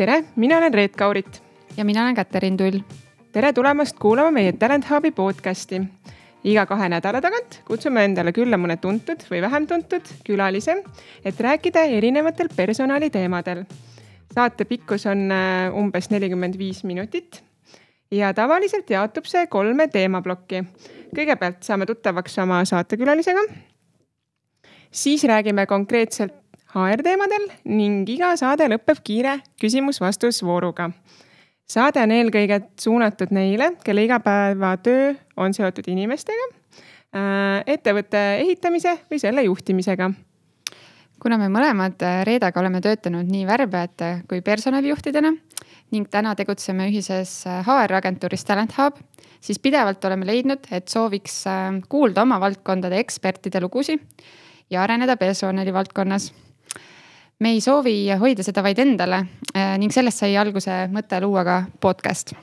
Tere, mina olen Reet Kaurit. Ja mina olen Käterin Tull. Tere tulemast kuulama meie Talent Hubi podcasti. Iga 2 nädala tagant kutsume endale külla mõne tuntud või vähem tuntud külalise, et rääkida erinevatel personaliteemadel. Saate pikkus on umbes 45 minutit ja tavaliselt jaotub see 3 teemablokki. Kõigepealt saame tuttavaks oma saatekülalisega. Siis räägime konkreetselt HR-teemadel ning iga saade lõpeb kiire küsimus-vastusvooruga. Saade on eelkõige suunatud neile, kelle igapäevatöö on seotud inimestega, ettevõtte ehitamise või selle juhtimisega. Kuna me mõlemad Reedaga oleme töötanud nii värbajate kui personalijuhtidena ning täna tegutseme ühises HR-agentuuris Talent Hub, siis pidevalt oleme leidnud, et sooviks kuulda oma valdkondade ekspertide lugusid ja areneda personali valdkonnas. Me ei soovi hoida seda vaid endale ning sellest sai alguse mõte luua ka podcast.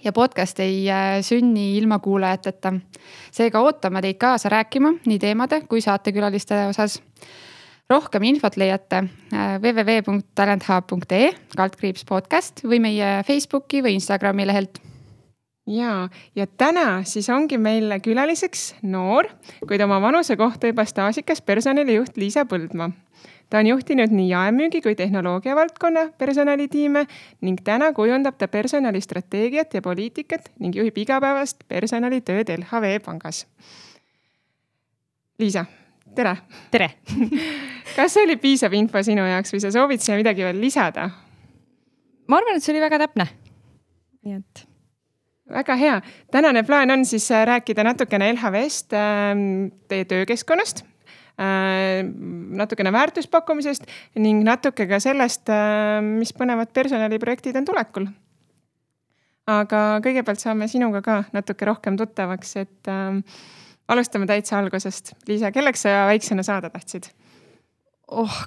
Ja podcast ei sünni ilma kuulajateta. Seega ootame teid kaasa rääkima nii teemade kui saatekülaliste osas. Rohkem infot leiate www.talenthub.ee/podcast või meie Facebooki või Instagrami lehelt. Ja täna siis ongi meil külaliseks noor, kuid oma vanuse kohta juba staažikas personalijuht Liisa Põldmaa. Ta on juhtinud nii jaemüügi kui tehnoloogia valdkonna personalitiime ning täna kujundab ta personalistrateegiat ja poliitikat ning juhib igapäevast personalitööd LHV Pangas. Liisa, tere! Tere! Kas see oli piisav info sinu jaoks või sa soovid siia midagi veel lisada? Ma arvan, et see oli väga täpne. Nii et... Väga hea. Tänane plaan on siis rääkida natukene LHV-st, teie töökeskkonnast, natukene väärtuspakkumisest ning natuke ka sellest, mis põnevad personaliprojektid on tulekul. Aga kõigepealt saame sinuga ka natuke rohkem tuttavaks, et alustame täitsa algusest. Liisa, kelleks sa väiksena saada tahtsid?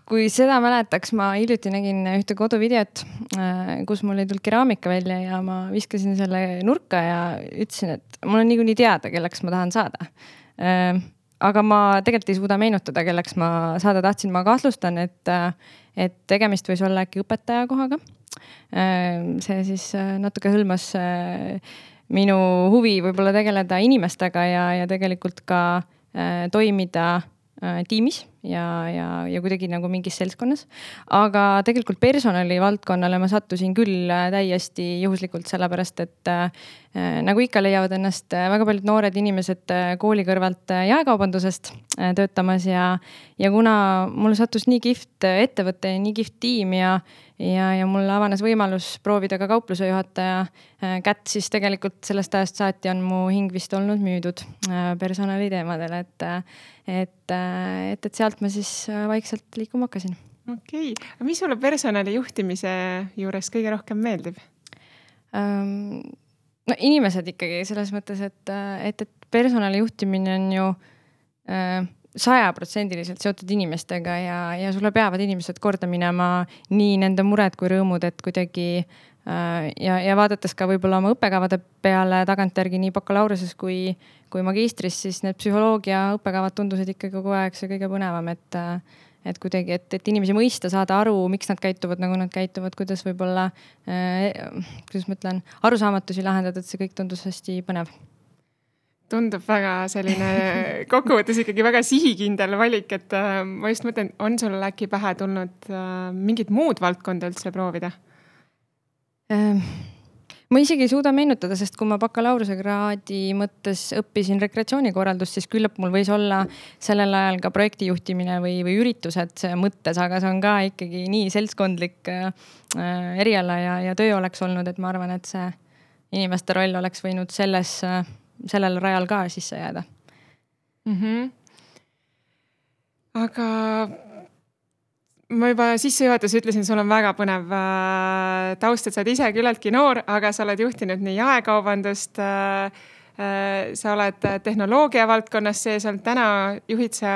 Kui seda mäletaks, ma hiljuti nägin ühte koduvideot, kus mul ei tulnud keraamika välja ja ma viskasin selle nurka ja ütlesin, et mul on niikuinii teada, kelleks ma tahan saada. Aga ma tegelikult ei suuda meenutada, kelleks ma saada tahtsin. Ma kahtlustan, et tegemist võis olla äkki õpetaja kohaga. See siis natuke hõlmas minu huvi võib-olla tegeleda inimestega ja tegelikult ka toimida tiimis ja kuidagi nagu mingis seltskonnas. Aga tegelikult personali valdkonnale ma sattusin küll täiesti juhuslikult sellepärast, et nagu ikka leiavad ennast väga paljud noored inimesed kooli kõrvalt jaekaubandusest töötamas ja kuna mul sattus nii kihvt ettevõte ja nii kihvt tiim ja mul avanes võimalus proovida ka kaupluse juhataja kätt, siis tegelikult sellest ajast saati on mu hing vist olnud müüdud personaliteemadel, et sealt ma siis vaikselt liikuma hakkasin. Okei. Aga mis sulle personali juhtimise juures kõige rohkem meeldib? No inimesed ikkagi selles mõttes, et personali juhtimine on ju 100% seotud inimestega ja sulle peavad inimesed korda minema nii nende mured kui rõõmud, et kuidagi ja vaadates ka võib-olla oma õppekavade peale tagantjärgi nii bakalaureses kui magistris, siis need psühholoogia õppekavad tundusid ikkagi kogu aeg see kõige põnevam, et kuidagi, et inimesi mõista, saada aru, miks nad käituvad, nagu nad käituvad, kuidas võib-olla, kuidas ma ütlen, arusaamatusi lahendada, et see kõik tundus hästi põnev. Tundub väga selline kokkuvõttes ikkagi väga sihikindel valik, et ma just mõtlen, on sul äkki pähe tulnud mingid muud valdkonda üldse proovida? Ma isegi ei suuda meenutada, sest kui ma bakalaureuse kraadi mõttes õppisin rekreatsioonikorraldust, siis küllap mul võis olla sellel ajal ka projektijuhtimine või üritused mõttes, aga see on ka ikkagi nii seltskondlik eriala ja töö oleks olnud, et ma arvan, et see inimeste roll oleks võinud sellel rajal ka sisse jääda. Aga ma juba sissejuhatus ütlesin, sul on väga põnev taust, et sa oled ise küllaltki noor, aga sa oled juhtinud nii jaekaubandust, sa oled tehnoloogia valdkonnas sees, täna juhid sa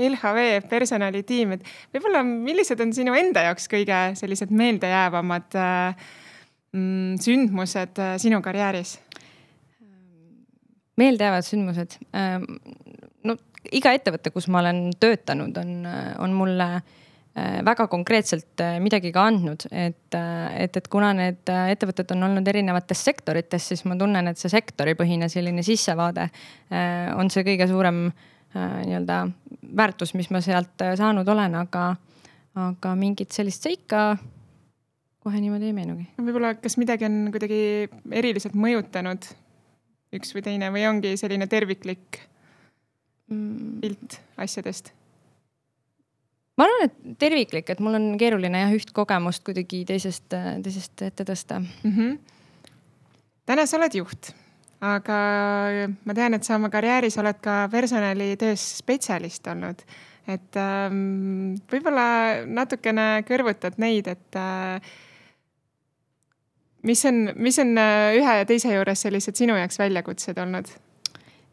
LHV personalitiim. Võib-olla millised on sinu enda jaoks kõige sellised meeldejäävamad sündmused sinu karjääris? Meeldejäävad sündmused? No, iga ettevõte, kus ma olen töötanud, on mulle väga konkreetselt midagi ka andnud, et kuna need ettevõtted on olnud erinevates sektorites, siis ma tunnen, et see sektoripõhine selline sissevaade on see kõige suurem nii-öelda väärtus, mis ma sealt saanud olen, aga mingit sellist seika kohe niimoodi ei meenugi. Võib-olla kas midagi on kuidagi eriliselt mõjutanud üks või teine või ongi selline terviklik pilt asjadest? Ma arvan, et terviklik, et mul on keeruline üht kogemust kuidagi teisest ette tõsta. Täna sa oled juht, aga ma tean, et sa oma karjääris oled ka personalitöös spetsialist olnud. Et võib-olla natukene kõrvutad neid, et mis on ühe ja teise juures sellised sinu jaoks väljakutsed olnud?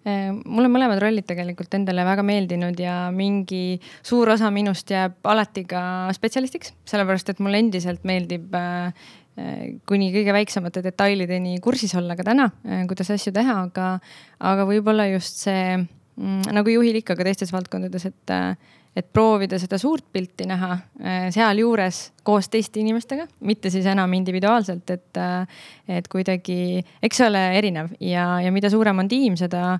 Mulle mõlemad rollid tegelikult endale väga meeldinud ja mingi suur osa minust jääb alati ka spetsialistiks, sellepärast et mulle endiselt meeldib kuni kõige väiksemate detailideni kursis olla ka täna, kuidas asju teha, aga võib-olla just see, nagu juhil ikka ka teistes valdkondades, et proovida seda suurt pilti näha seal juures koos teiste inimestega, mitte siis enam individuaalselt, et kuidagi, eks see ole erinev ja mida suurem on tiim, seda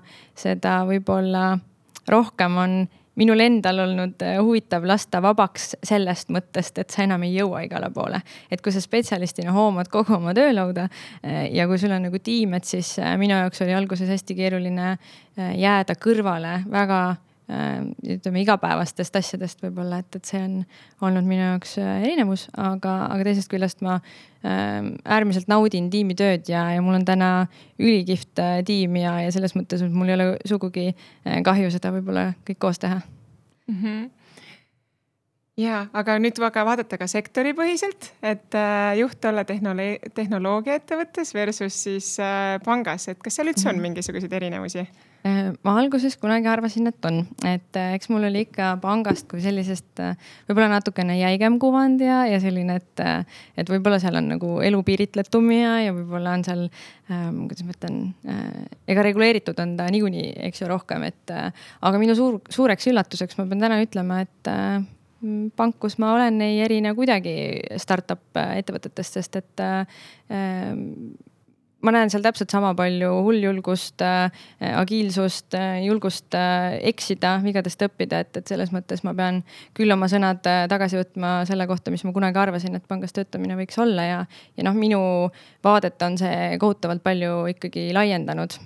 võib-olla rohkem on minul endal olnud huvitav lasta vabaks sellest mõttest, et sa enam ei jõua igale poole. Et kui sa spetsialistina hoomad kogu oma töölauda ja kui sul on nagu tiim, et siis minu jaoks oli alguses hästi keeruline jääda kõrvale väga ütleme igapäevastest asjadest võib-olla, et see on olnud minu jaoks erinevus, aga teisest küljest ma äärmiselt naudin tiimitööd ja mul on täna ülikihvt tiim ja selles mõttes, et mul ei ole sugugi kahju seda võib-olla kõik koos teha. Ja, aga nüüd vaadata ka sektoripõhiselt, et juht olla tehnoloogia ettevõttes versus siis pangas, et kas seal üldse on mingisuguseid erinevusi? Ma alguses kunagi arvasin, et on, et eks mul oli ikka pangast kui sellisest võib-olla natukene jäigem kuvand ja selline, et võib-olla seal on nagu elu piiritletum ja võib-olla on seal, kuidas ma ütlen, ega reguleeritud on ta niikuinii, eks ju, rohkem, aga minu suureks üllatuseks ma pean täna ütlema, et pank, kus ma olen, ei erine kuidagi startup ettevõtetest, sest et ma näen seal täpselt sama palju hulljulgust, agiilsust, julgust eksida, vigadest õppida, et selles mõttes ma pean küll oma sõnad tagasi võtma selle kohta, mis ma kunagi arvasin, et pangas töötamine võiks olla ja minu vaadet on see kohutavalt palju ikkagi laiendanud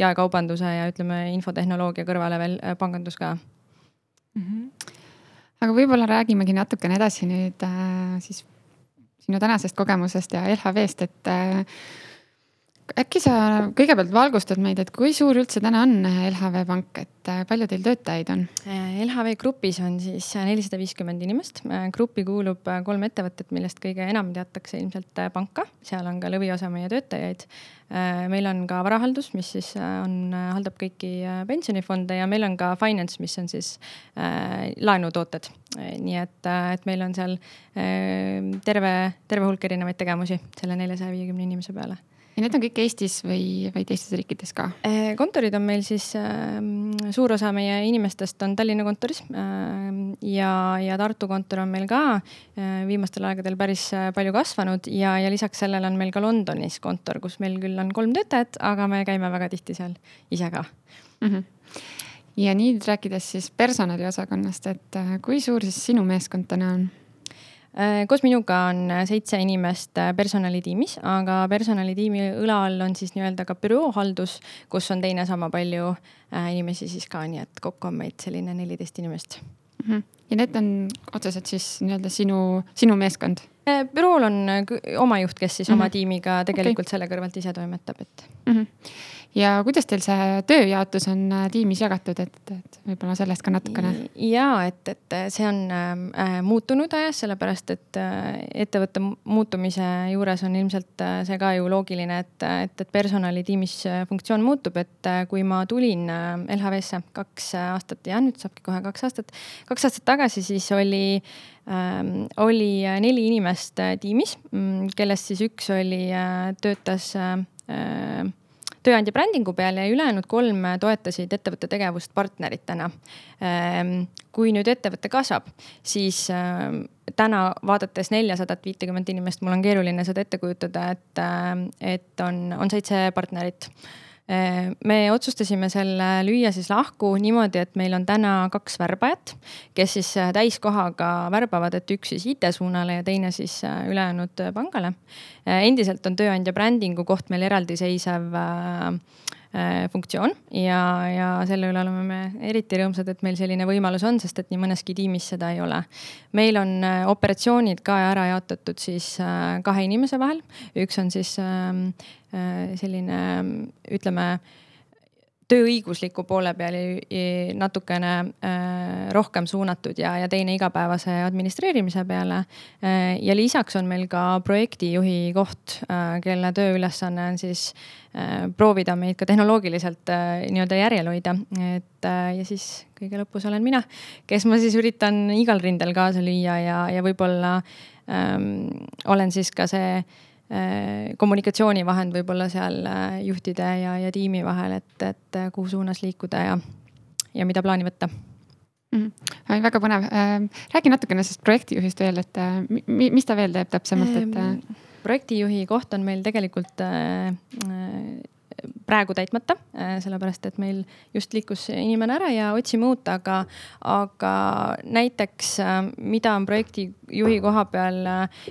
jaekaubanduse ja ütleme infotehnoloogia kõrvale veel pangandus ka. Aga võib-olla räägimegi natukene edasi nüüd siis sinu tänasest kogemusest ja LHV-st, et äkki sa kõigepealt valgustad meid, et kui suur üldse täna on LHV Pank, et palju teil töötajaid on? LHV grupis on siis 450 inimest. Gruppi kuulub 3 ettevõtet, millest kõige enam teatakse ilmselt panka. Seal on ka lõviosa meie töötajaid. Meil on ka varahaldus, mis siis haldab kõiki pensionifonde ja meil on ka finance, mis on siis laenutooted. Nii et meil on seal terve hulk erinevaid tegemusi selle 450 inimese peale. Ja need on kõik Eestis või teistes riikides ka? Kontorid on meil siis, suur osa meie inimestest on Tallinna kontoris ja Tartu kontor on meil ka viimastel aegadel päris palju kasvanud ja lisaks sellele on meil ka Londonis kontor, kus meil küll on 3 töötajat, aga me käime väga tihti seal ise ka. Ja nüüd rääkides siis personaliosakonnast, et kui suur siis sinu meeskond täna on? Koos minuga on 7 inimest personalitiimis, aga personalitiimi õla all on siis nii-öelda ka büroohaldus, kus on teine sama palju inimesi siis ka, nii et kokku on meid selline 14 inimest. Ja need on otseselt siis nii-öelda sinu meeskond? Bürool on oma juht, kes siis oma tiimiga tegelikult selle kõrvalt ise toimetab. Ja kuidas teil see tööjaotus on tiimis jagatud, et võib-olla sellest ka natukene? Ja, et see on muutunud ajas, sellepärast, et ettevõtte muutumise juures on ilmselt see ka ju loogiline, et personalitiimis funktsioon muutub, et kui ma tulin LHV-sse 2 aastat ja nüüd saabki kohe 2 aastat. 2 aastat tagasi siis oli 4 inimest tiimis, kellest siis üks töötas tööandja brändingu peal ja ülejäänud 3 toetasid ettevõtte tegevust partneritena. Kui nüüd ettevõte kasvab, siis täna vaadates 450 inimest, mul on keeruline seda ette kujutada, et on 7 partnerit. Me otsustasime selle lüüa siis lahku niimoodi, et meil on täna 2 värbajat, kes siis täiskohaga värbavad, et üks siis IT-suunale ja teine siis ülejäänud pangale. Endiselt on tööandja brändingu koht meil eraldiseisev funktsioon ja selle üle oleme me eriti rõõmsad, et meil selline võimalus on, sest et nii mõneski tiimis seda ei ole. Meil on operatsioonid ka ära jaotatud siis 2 inimese vahel. Üks on siis selline, ütleme, tööõigusliku poole peal natukene rohkem suunatud ja teine igapäevase administreerimise peale. Ja lisaks on meil ka projektijuhi koht, kelle tööülesanne on siis proovida meid ka tehnoloogiliselt nii-öelda järjel hoida. Ja siis kõige lõpus olen mina, kes ma siis üritan igal rindel kaasa lüüa ja võib-olla olen siis ka see kommunikatsioonivahend võib-olla seal juhtide ja tiimi vahel, et kuhu suunas liikuda ja mida plaani võtta. Väga põnev. Räägi natukene sellest projektijuhist veel, et mis ta veel teeb täpsemalt? Projektijuhi koht on meil tegelikult praegu täitmata, sellepärast, et meil just liikus inimene ära ja otsime uut, aga näiteks, mida on projektijuhi koha peal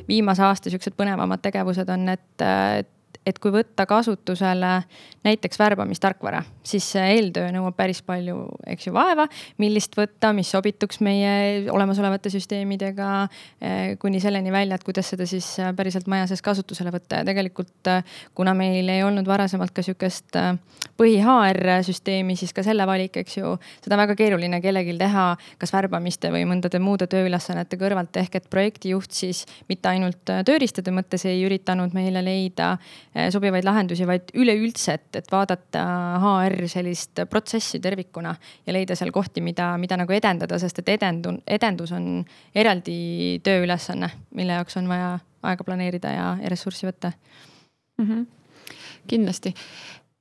viimase aasta siuksed põnevamad tegevused on, et kui võtta kasutusele näiteks värbamistarkvara, siis eeltöö nõuab päris palju, eks ju, vaeva, millist võtta, mis sobituks meie olemasolevate süsteemidega kuni selleni välja, et kuidas seda siis päriselt maja sees kasutusele võtta. Ja tegelikult, kuna meil ei olnud varasemalt ka siukest põhi-HR süsteemi, siis ka selle valik, eks ju, seda väga keeruline kellegil teha, kas värbamiste või mõndade muude tööülesannete kõrvalt, ehk et projektijuht siis mitte ainult tööriistade mõttes ei üritanud meile leida sobivaid lahendusi, vaid üleüldse, et vaadata HR sellist protsessi tervikuna ja leida seal kohti, mida nagu edendada, sest et edendus on eraldi tööülesanne, mille jaoks on vaja aega planeerida ja ressurssi võtta. Kindlasti.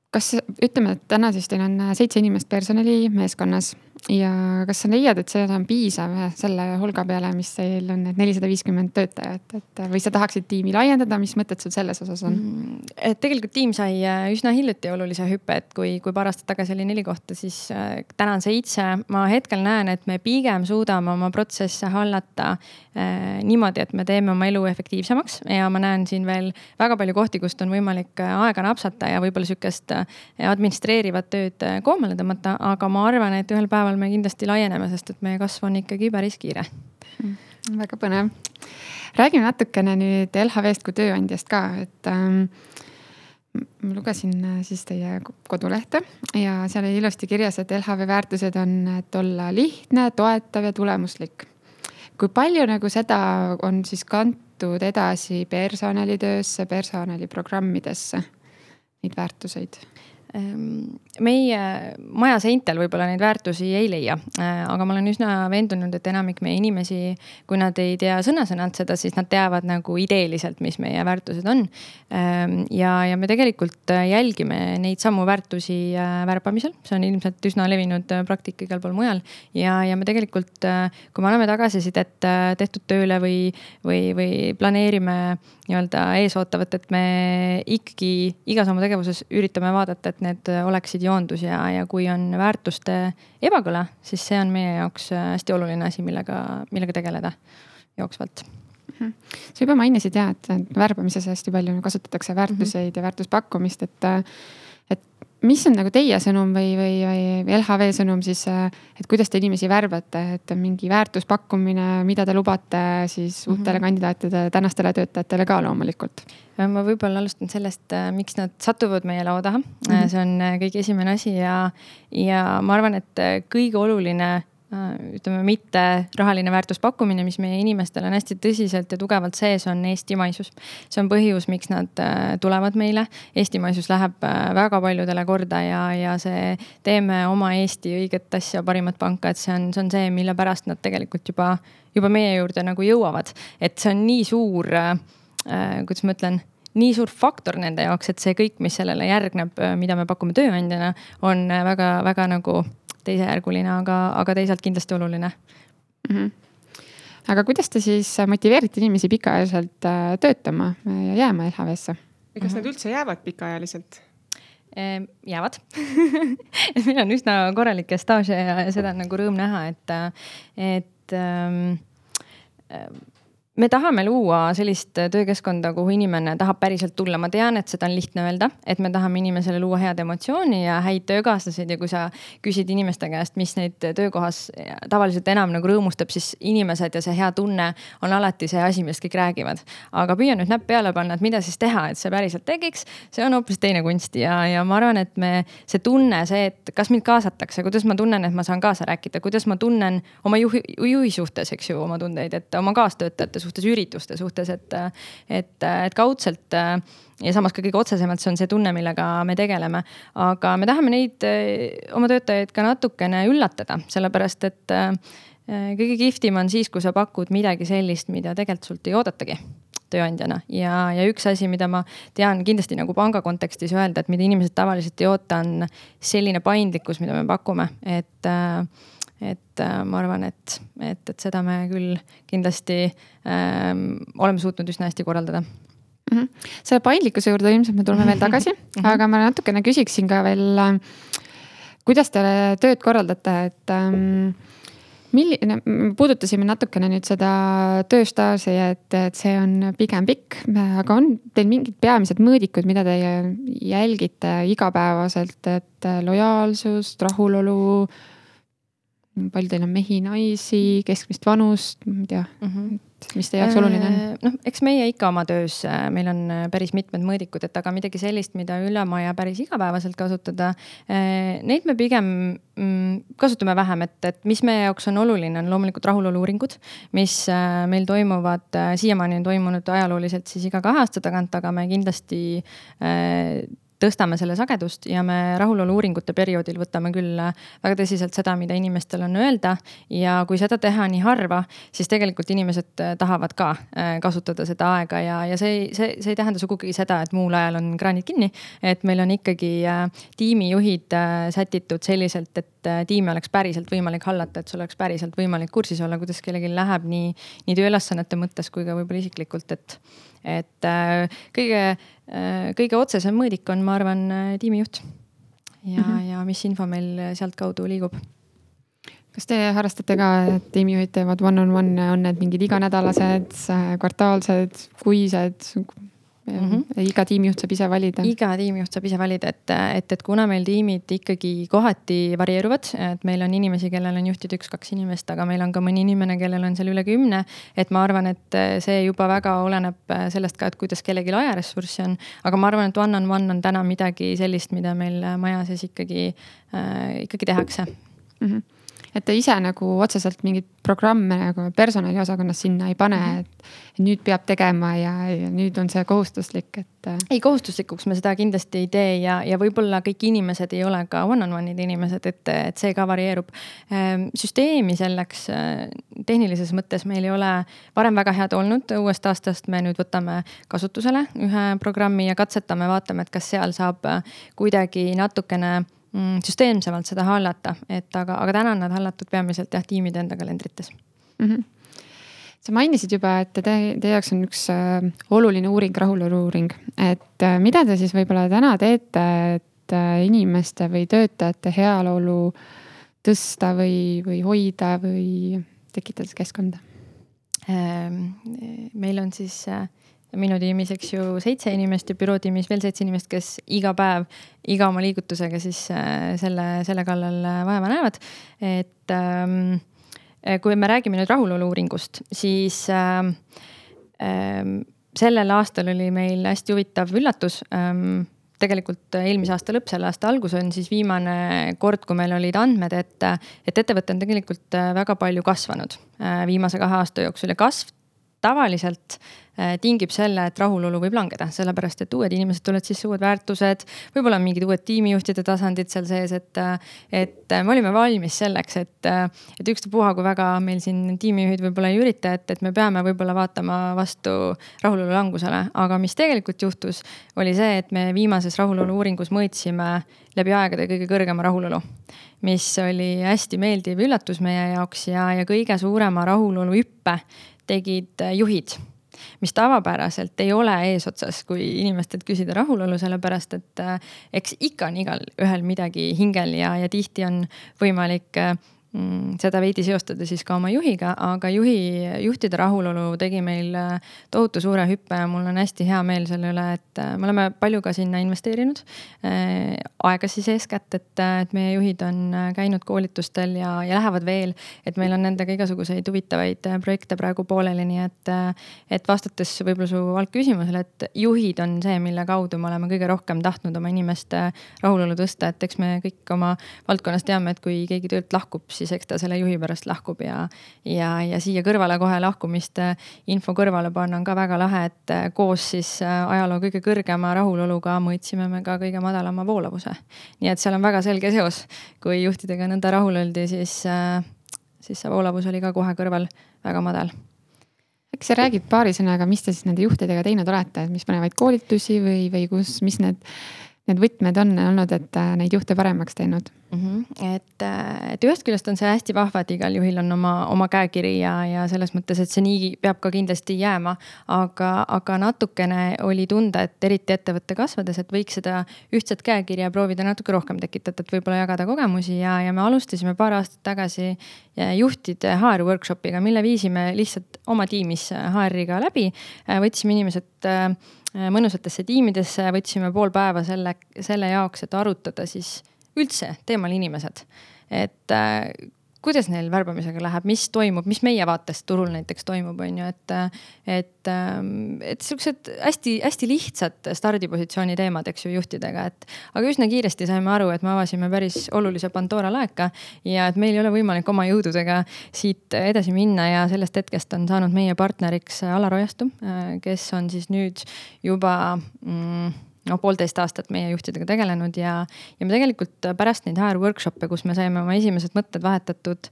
Kas ütleme, et täna siis teil on 7 inimest personali meeskonnas ja kas sa leiad, et see on piisav selle hulga peale, mis teil on 450 töötajat, või sa tahaksid tiimi laiendada, mis mõtted sul selles osas on? Tegelikult tiim sai üsna hiljuti olulise hüppe, et kui paar aastat tagasi oli 4 kohta, siis täna on 7. Ma hetkel näen, et me pigem suudame oma protsesse hallata niimoodi, et me teeme oma elu efektiivsemaks ja ma näen siin veel väga palju kohti, kust on võimalik aega napsata ja võib-olla sükest administreerivat tööd koomale tõmmata, aga ma arvan, et ühel päeval me kindlasti laieneme, sest et meie kasv on ikkagi päris kiire. Väga põnev. Räägime natukene nüüd LHV-st kui tööandjast ka, et ma lugesin siis teie kodulehte ja seal oli ilusti kirjas, et LHV väärtused on, et olla lihtne, toetav ja tulemuslik. Kui palju nagu seda on siis kantud edasi personalitöösse, personaliprogrammidesse, neid väärtuseid? Meie maja seintel võib-olla neid väärtusi ei leia, aga ma olen üsna veendunud, et enamik meie inimesi, kui nad ei tea sõna-sõnalt seda, siis nad teavad nagu ideeliselt, mis meie väärtused on. Ja me tegelikult jälgime neid samu väärtusi värbamisel. See on ilmselt üsna levinud praktika igal pool mujal. Ja me tegelikult, kui me oleme tagasisidet tehtud tööle või planeerime nii-öelda eesootavat, et me ikkagi igas oma tegevuses üritame vaadata, et need oleksid joondus ja kui on väärtuste ebakõla, siis see on meie jaoks hästi oluline asi, millega tegeleda jooksvalt. Sa juba mainisid et värbamises hästi palju kasutatakse väärtuseid ja väärtuspakkumist, et mis on nagu teie sõnum või LHV sõnum siis, et kuidas te inimesi värbate, et mingi väärtuspakkumine, mida te lubate siis uutele kandidaatide, tänastele töötajatele ka loomulikult? Ma võib-olla alustan sellest, miks nad satuvad meie laua taha. See on kõige esimene asi ja ma arvan, et kõige oluline, ütleme, mitte rahaline väärtuspakkumine, mis meie inimestel on hästi tõsiselt ja tugevalt sees, on eestimaisus. See on põhjus, miks nad tulevad meile. Eestimaisus läheb väga paljudele korda ja see teeme oma Eesti õiget asja, parimat panka, et see on see, mille pärast nad tegelikult juba meie juurde nagu jõuavad. Et see on nii suur, kuidas ma ütlen, nii suur faktor nende jaoks, et see kõik, mis sellele järgneb, mida me pakume tööandjana, on väga nagu teisejärguline, aga teisalt kindlasti oluline. Aga kuidas te siis motiveerite inimesi pikaajaliselt töötama ja jääma LHV-sse? Kas nad üldse jäävad pikaajaliselt? Jäävad. Meil on üsna korralikke staaže ja seda on nagu rõõm näha, et me tahame luua sellist töökeskkonda, kuhu inimene tahab päriselt tulla. Ma tean, et seda on lihtne öelda, et me tahame inimesele luua head emotsiooni ja häid töökaaslased ja kui sa küsid inimeste käest, mis neid töökohas tavaliselt enam nagu rõõmustab, siis inimesed ja see hea tunne on alati see asi, millest kõik räägivad. Aga püüa nüüd näpp peale panna, et mida siis teha, et see päriselt tegiks, see on hoopis teine kunst ja ma arvan, et see tunne, see, et kas mind kaasatakse, kuidas ma tunnen, et ma saan kaasa rääkida, kuidas ma tunnen oma juhi suhtes, eks ju, oma tundeid, et oma kaastöötajate suhtes, ürituste suhtes, et kaudselt ja samas ka kõige otsesemalt see on see tunne, millega me tegeleme. Aga me tahame neid oma töötajaid ka natukene üllatada, sellepärast et kõige kihvtim on siis, kui sa pakud midagi sellist, mida tegelikult sult ei oodatagi tööandjana. Ja üks asi, mida ma tean kindlasti nagu panga kontekstis öelda, et mida inimesed tavaliselt ei oota, on selline paindlikkus, mida me pakume, et ma arvan, et seda me küll kindlasti oleme suutnud üsna hästi korraldada. Selle paindlikkuse juurde ilmselt me tuleme veel tagasi, aga ma natukene küsiksin ka veel, kuidas te tööd korraldate, et puudutasime natukene nüüd seda tööstaaži, et see on pigem pikk, aga on teil mingid peamised mõõdikud, mida te jälgite igapäevaselt, et lojaalsust, rahulolu, palju teil on mehi, naisi, keskmist vanust, ma ei tea, mis teie jaoks oluline on? Eks meie ikka oma töös, meil on päris mitmed mõõdikud, et aga midagi sellist, mida üle maja päris igapäevaselt kasutada, neid me pigem kasutame vähem, et mis meie jaoks on oluline, on loomulikult rahulolu-uuringud, mis meil toimuvad, siiamaani on toimunud ajalooliselt siis iga 2 aasta tagant, aga me kindlasti tõstame selle sagedust ja me rahulolu-uuringute perioodil võtame küll väga tõsiselt seda, mida inimestel on öelda ja kui seda teha nii harva, siis tegelikult inimesed tahavad ka kasutada seda aega ja see ei tähenda sugugi seda, et muul ajal on kraanid kinni, et meil on ikkagi tiimijuhid sätitud selliselt, et tiimi oleks päriselt võimalik hallata, et sul oleks päriselt võimalik kursis olla, kuidas kellelgi läheb nii tööülesannete mõttes kui ka võib-olla isiklikult, et kõige otsesem mõõdik on, ma arvan, tiimijuht ja mis info meil sealt kaudu liigub. Kas te harrastate ka, et tiimijuhid teevad one-on-one, on need mingid iganädalased, kvartaalsed, kuised? Iga tiimijuht saab ise valida. Iga tiimijuht saab ise valida, et kuna meil tiimid ikkagi kohati varieeruvad, et meil on inimesi, kellel on juhtid 1-2 inimest, aga meil on ka mõni inimene, kellel on seal üle 10, et ma arvan, et see juba väga oleneb sellest ka, et kuidas kellelgi ajaressurssi on, aga ma arvan, et one-on-one on täna midagi sellist, mida meil maja sees ikkagi tehakse. Et te ise nagu otseselt mingid programme nagu personaliosakonnas sinna ei pane, et nüüd peab tegema ja nüüd on see kohustuslik, et... Ei, kohustuslikuks me seda kindlasti ei tee ja võib-olla kõik inimesed ei ole ka one-on-one'id inimesed, et see ka varieerub. Süsteemi selleks tehnilises mõttes meil ei ole varem väga head olnud. Uuest aastast me nüüd võtame kasutusele ühe programmi ja katsetame, vaatame, et kas seal saab kuidagi natukene süsteemsemalt seda hallata, aga täna on nad hallatud peamiselt tiimide enda kalendrites. Sa mainisid juba, et teie jaoks on üks oluline uuring, rahulolu-uuring, et mida te siis võib-olla täna teete, et inimeste või töötajate heaolu tõsta või hoida või tekitada keskkonda? Meil on siis minu tiimis, eks ju, 7 inimest ja büroo tiimis veel 7 inimest, kes iga päev, iga oma liigutusega siis selle kallal vaeva näevad. Et kui me räägime nüüd rahulolu-uuringust, siis sellel aastal oli meil hästi huvitav üllatus. Tegelikult eelmise aasta lõpp, selle aasta algus on siis viimane kord, kui meil olid andmed, et ettevõte on tegelikult väga palju kasvanud viimase 2 aasta jooksul ja kasv tavaliselt tingib selle, et rahulolu võib langeda, sellepärast et uued inimesed tulevad sisse, uued väärtused, võib-olla mingid uued tiimijuhtide tasandid seal sees, et me olime valmis selleks, et ükstapuha, kui väga meil siin tiimijuhid võib-olla ei ürita, et me peame võib-olla vaatama vastu rahulolu langusele, aga mis tegelikult juhtus, oli see, et me viimases rahulolu uuringus mõõtsime läbi aegade kõige kõrgema rahulolu, mis oli hästi meeldiv üllatus meie jaoks ja kõige suurema rahulolu hüppe tegid juhid, mis tavapäraselt ei ole eesotsas, kui inimestelt küsida rahulolu, sellepärast et eks ikka on igal ühel midagi hingel ja tihti on võimalik seda veidi seostada siis ka oma juhiga, aga juhtide rahulolu tegi meil tohutu suure hüppe ja mul on hästi hea meel selle üle, et me oleme palju ka sinna investeerinud. Aega siis eeskätt, et meie juhid on käinud koolitustel ja lähevad veel, et meil on nendega igasuguseid huvitavaid projekte praegu pooleli, nii et vastates võib-olla su algküsimusele, et juhid on see, mille kaudu me oleme kõige rohkem tahtnud oma inimeste rahulolu tõsta, et eks me kõik oma valdkonnas teame, et kui keegi töölt lahkub, siis eks ta selle juhi pärast lahkub ja siia kõrvale kohe lahkumist info kõrvale panna on ka väga lahe, et koos siis ajaloo kõige kõrgema rahuloluga mõõtsime me ka kõige madalama voolavuse. Nii et seal on väga selge seos. Kui juhtidega nõnda rahul oldi, siis see voolavus oli ka kohe kõrval väga madal. Eks sa räägid paari sõnaga, mis te siis nende juhtidega teinud olete, et mis panevaid koolitusi või mis need võtmed on olnud, et neid juhte paremaks teinud? Et ühest küljest on see hästi vahva, et igal juhil on oma käekiri ja selles mõttes, et see nii peab ka kindlasti jääma, aga natukene oli tunda, et eriti ettevõtte kasvades, et võiks seda ühtset käekirja proovida natuke rohkem tekitada, et võib-olla jagada kogemusi ja me alustasime paar aastat tagasi juhtide HR workshopiga, mille viisime lihtsalt oma tiimis HR-iga läbi, võtsime inimesed mõnusatesse tiimidesse, võtsime pool päeva selle jaoks, et arutada siis üldse teemal inimesed, et kuidas neil värbamisega läheb, mis toimub, mis meie vaatest turul näiteks toimub, on ju, et sellised hästi lihtsad stardipositsiooni teemad, eks ju, juhtidega, aga üsna kiiresti saime aru, et me avasime päris olulise Pandora laeka ja et meil ei ole võimalik oma jõududega siit edasi minna ja sellest hetkest on saanud meie partneriks Alar Ojastu, kes on siis nüüd juba 1,5 aastat meie juhtidega tegelenud ja me tegelikult pärast neid HR workshop'e, kus me saime oma esimesed mõtted vahetatud,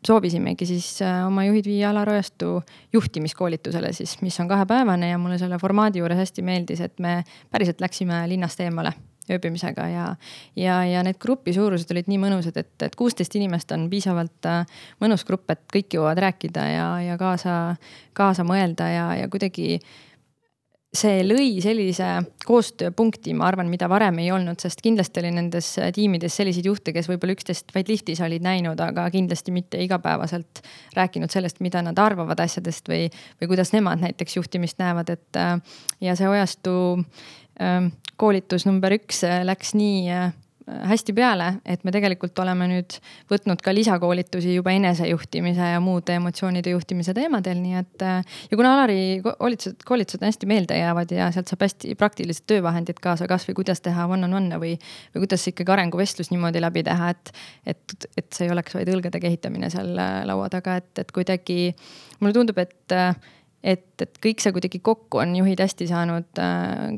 soovisimegi siis oma juhid viia Alar Ojastu juhtimiskoolitusele siis, mis on 2-päevane ja mulle selle formaadi juures hästi meeldis, et me päriselt läksime linnast eemale ööbimisega ja need grupi suurused olid nii mõnusad, et 16 inimest on piisavalt mõnus grupp, et kõik jõuavad rääkida ja kaasa mõelda ja kuidagi see lõi sellise koostööpunkti, ma arvan, mida varem ei olnud, sest kindlasti oli nendes tiimides selliseid juhte, kes võib-olla 11 vaid liftis olid näinud, aga kindlasti mitte igapäevaselt rääkinud sellest, mida nad arvavad asjadest või kuidas nemad näiteks juhtimist näevad, ja see Ojastu koolitus number 1 läks nii hästi peale, et me tegelikult oleme nüüd võtnud ka lisakoolitusi juba enesejuhtimise ja muude emotsioonide juhtimise teemadel, nii et ja kuna Alari koolitused on hästi meelde jäävad ja sealt saab hästi praktilised töövahendid kaasa, kas või kuidas teha one-on-one või kuidas ikkagi arenguvestlus niimoodi läbi teha, et see ei oleks vaid õlgade kehitamine seal laua taga, et kuidagi mulle tundub, et kõik see kuidagi kokku on juhid hästi saanud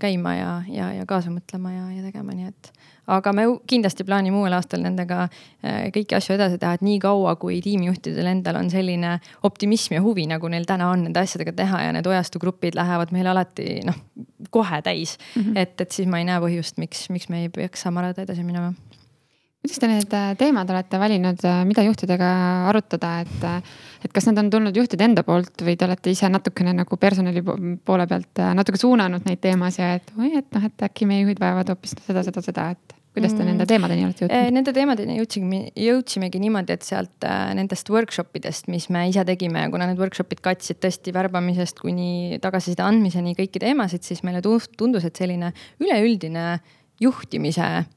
käima ja kaasa mõtlema ja tegema, nii et aga me kindlasti plaanime uuel aastal nendega kõiki asju edasi teha, et nii kaua, kui tiimijuhtidel endal on selline optimism ja huvi, nagu neil täna on nende asjadega teha ja need Ojastu grupid lähevad meil alati kohe täis, et siis ma ei näe põhjust, miks me ei peaks samarada edasi minema. Kuidas te need teemad olete valinud, mida juhtidega arutada, et kas need on tulnud juhtide enda poolt või te olete ise natukene nagu personali poole pealt natuke suunanud neid teemasid ja et äkki meie juhid vajavad hoopis seda, et kuidas te nende teemadeni olete jõudnud? Nende teemadeni jõudsimegi niimoodi, et sealt nendest workshopidest, mis me ise tegime, kuna need workshopid katsid tõesti värbamisest kuni tagasiside andmiseni kõiki teemasid, siis meile tundus, et selline üleüldine juhtimise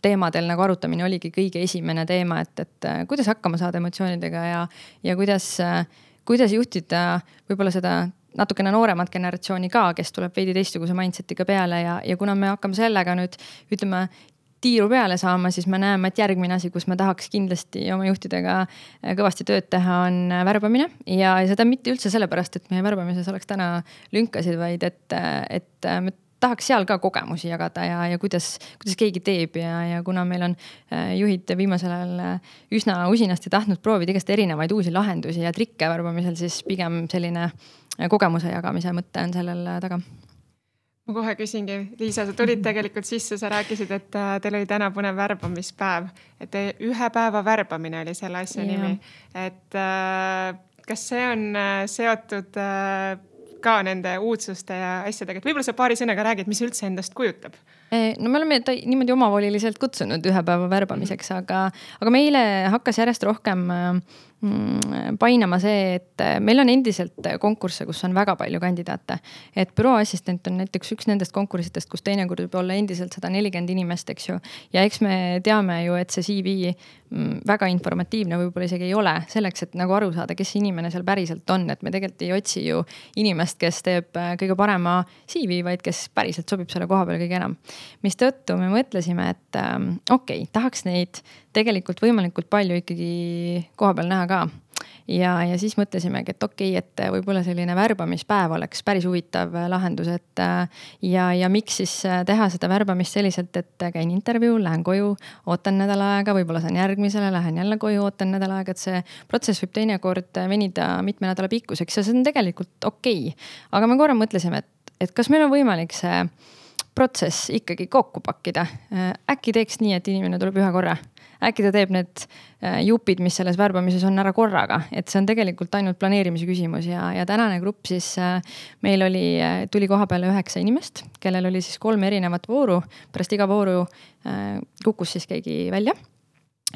teemadel nagu arutamine oligi kõige esimene teema, et kuidas hakkama saada emotsioonidega ja kuidas juhtida võib-olla seda natukene nooremat generatsiooni ka, kes tuleb veidi teistsuguse mindsetiga peale ja kuna me hakkame sellega nüüd, ütleme, tiiru peale saama, siis me näeme, et järgmine asi, kus me tahaks kindlasti oma juhtidega kõvasti tööd teha, on värbamine ja seda mitte üldse sellepärast, et meie värbamises oleks täna lünkasid, vaid et me tahaks seal ka kogemusi jagada ja kuidas keegi teeb ja kuna meil on juhid viimasel ajal üsna usinasti tahtnud proovida igast erinevaid uusi lahendusi ja trikke värbamisel, siis pigem selline kogemuse jagamise mõte on sellel taga. Ma kohe küsingi, Liisa, sa tulid tegelikult sisse, sa rääkisid, et teil oli täna põnev värbamispäev, et 1 päeva värbamine oli selle asja nimi. Et kas see on seotud ka nende uudsuste ja asjadega, et võib-olla sa paari sõnaga räägid, mis üldse endast kujutab? No me oleme niimoodi omavoliliselt kutsunud 1 päeva värbamiseks, aga meile hakkas järjest rohkem painama see, et meil on endiselt konkursse, kus on väga palju kandidaate. Et bürooassistent on näiteks üks nendest konkursitest, kus teinekord võib olla endiselt 140 inimest, eks ju. Ja eks me teame ju, et see CV väga informatiivne võib-olla isegi ei ole selleks, et nagu aru saada, kes inimene seal päriselt on. Et me tegelikult ei otsi ju inimest, kes teeb kõige parema CV, vaid kes päriselt sobib selle koha peale kõige enam. Mis tõttu me mõtlesime, et okei, tahaks neid tegelikult võimalikult palju ikkagi koha peal näha ka. Ja siis mõtlesimegi, et okei, et võib-olla selline värbamispäev oleks päris huvitav lahendus, et ja miks siis teha seda värbamist selliselt, et käin intervjuu, lähen koju, ootan nädal aega, võib-olla saan järgmisele, lähen jälle koju, ootan nädal aega, et see protsess võib teinekord venida mitme nädala pikkuseks ja see on tegelikult okei. Aga me korra mõtlesime, et kas meil on võimalik see protsess ikkagi kokku pakkida. Äkki teeks nii, et inimene tuleb 1 korra. Äkki ta teeb need jupid, mis selles värbamises on ära korraga, et see on tegelikult ainult planeerimise küsimus ja tänane grupp siis meil tuli koha peale 9 inimest, kellel oli siis 3 erinevat vooru, pärast iga vooru kukkus siis keegi välja.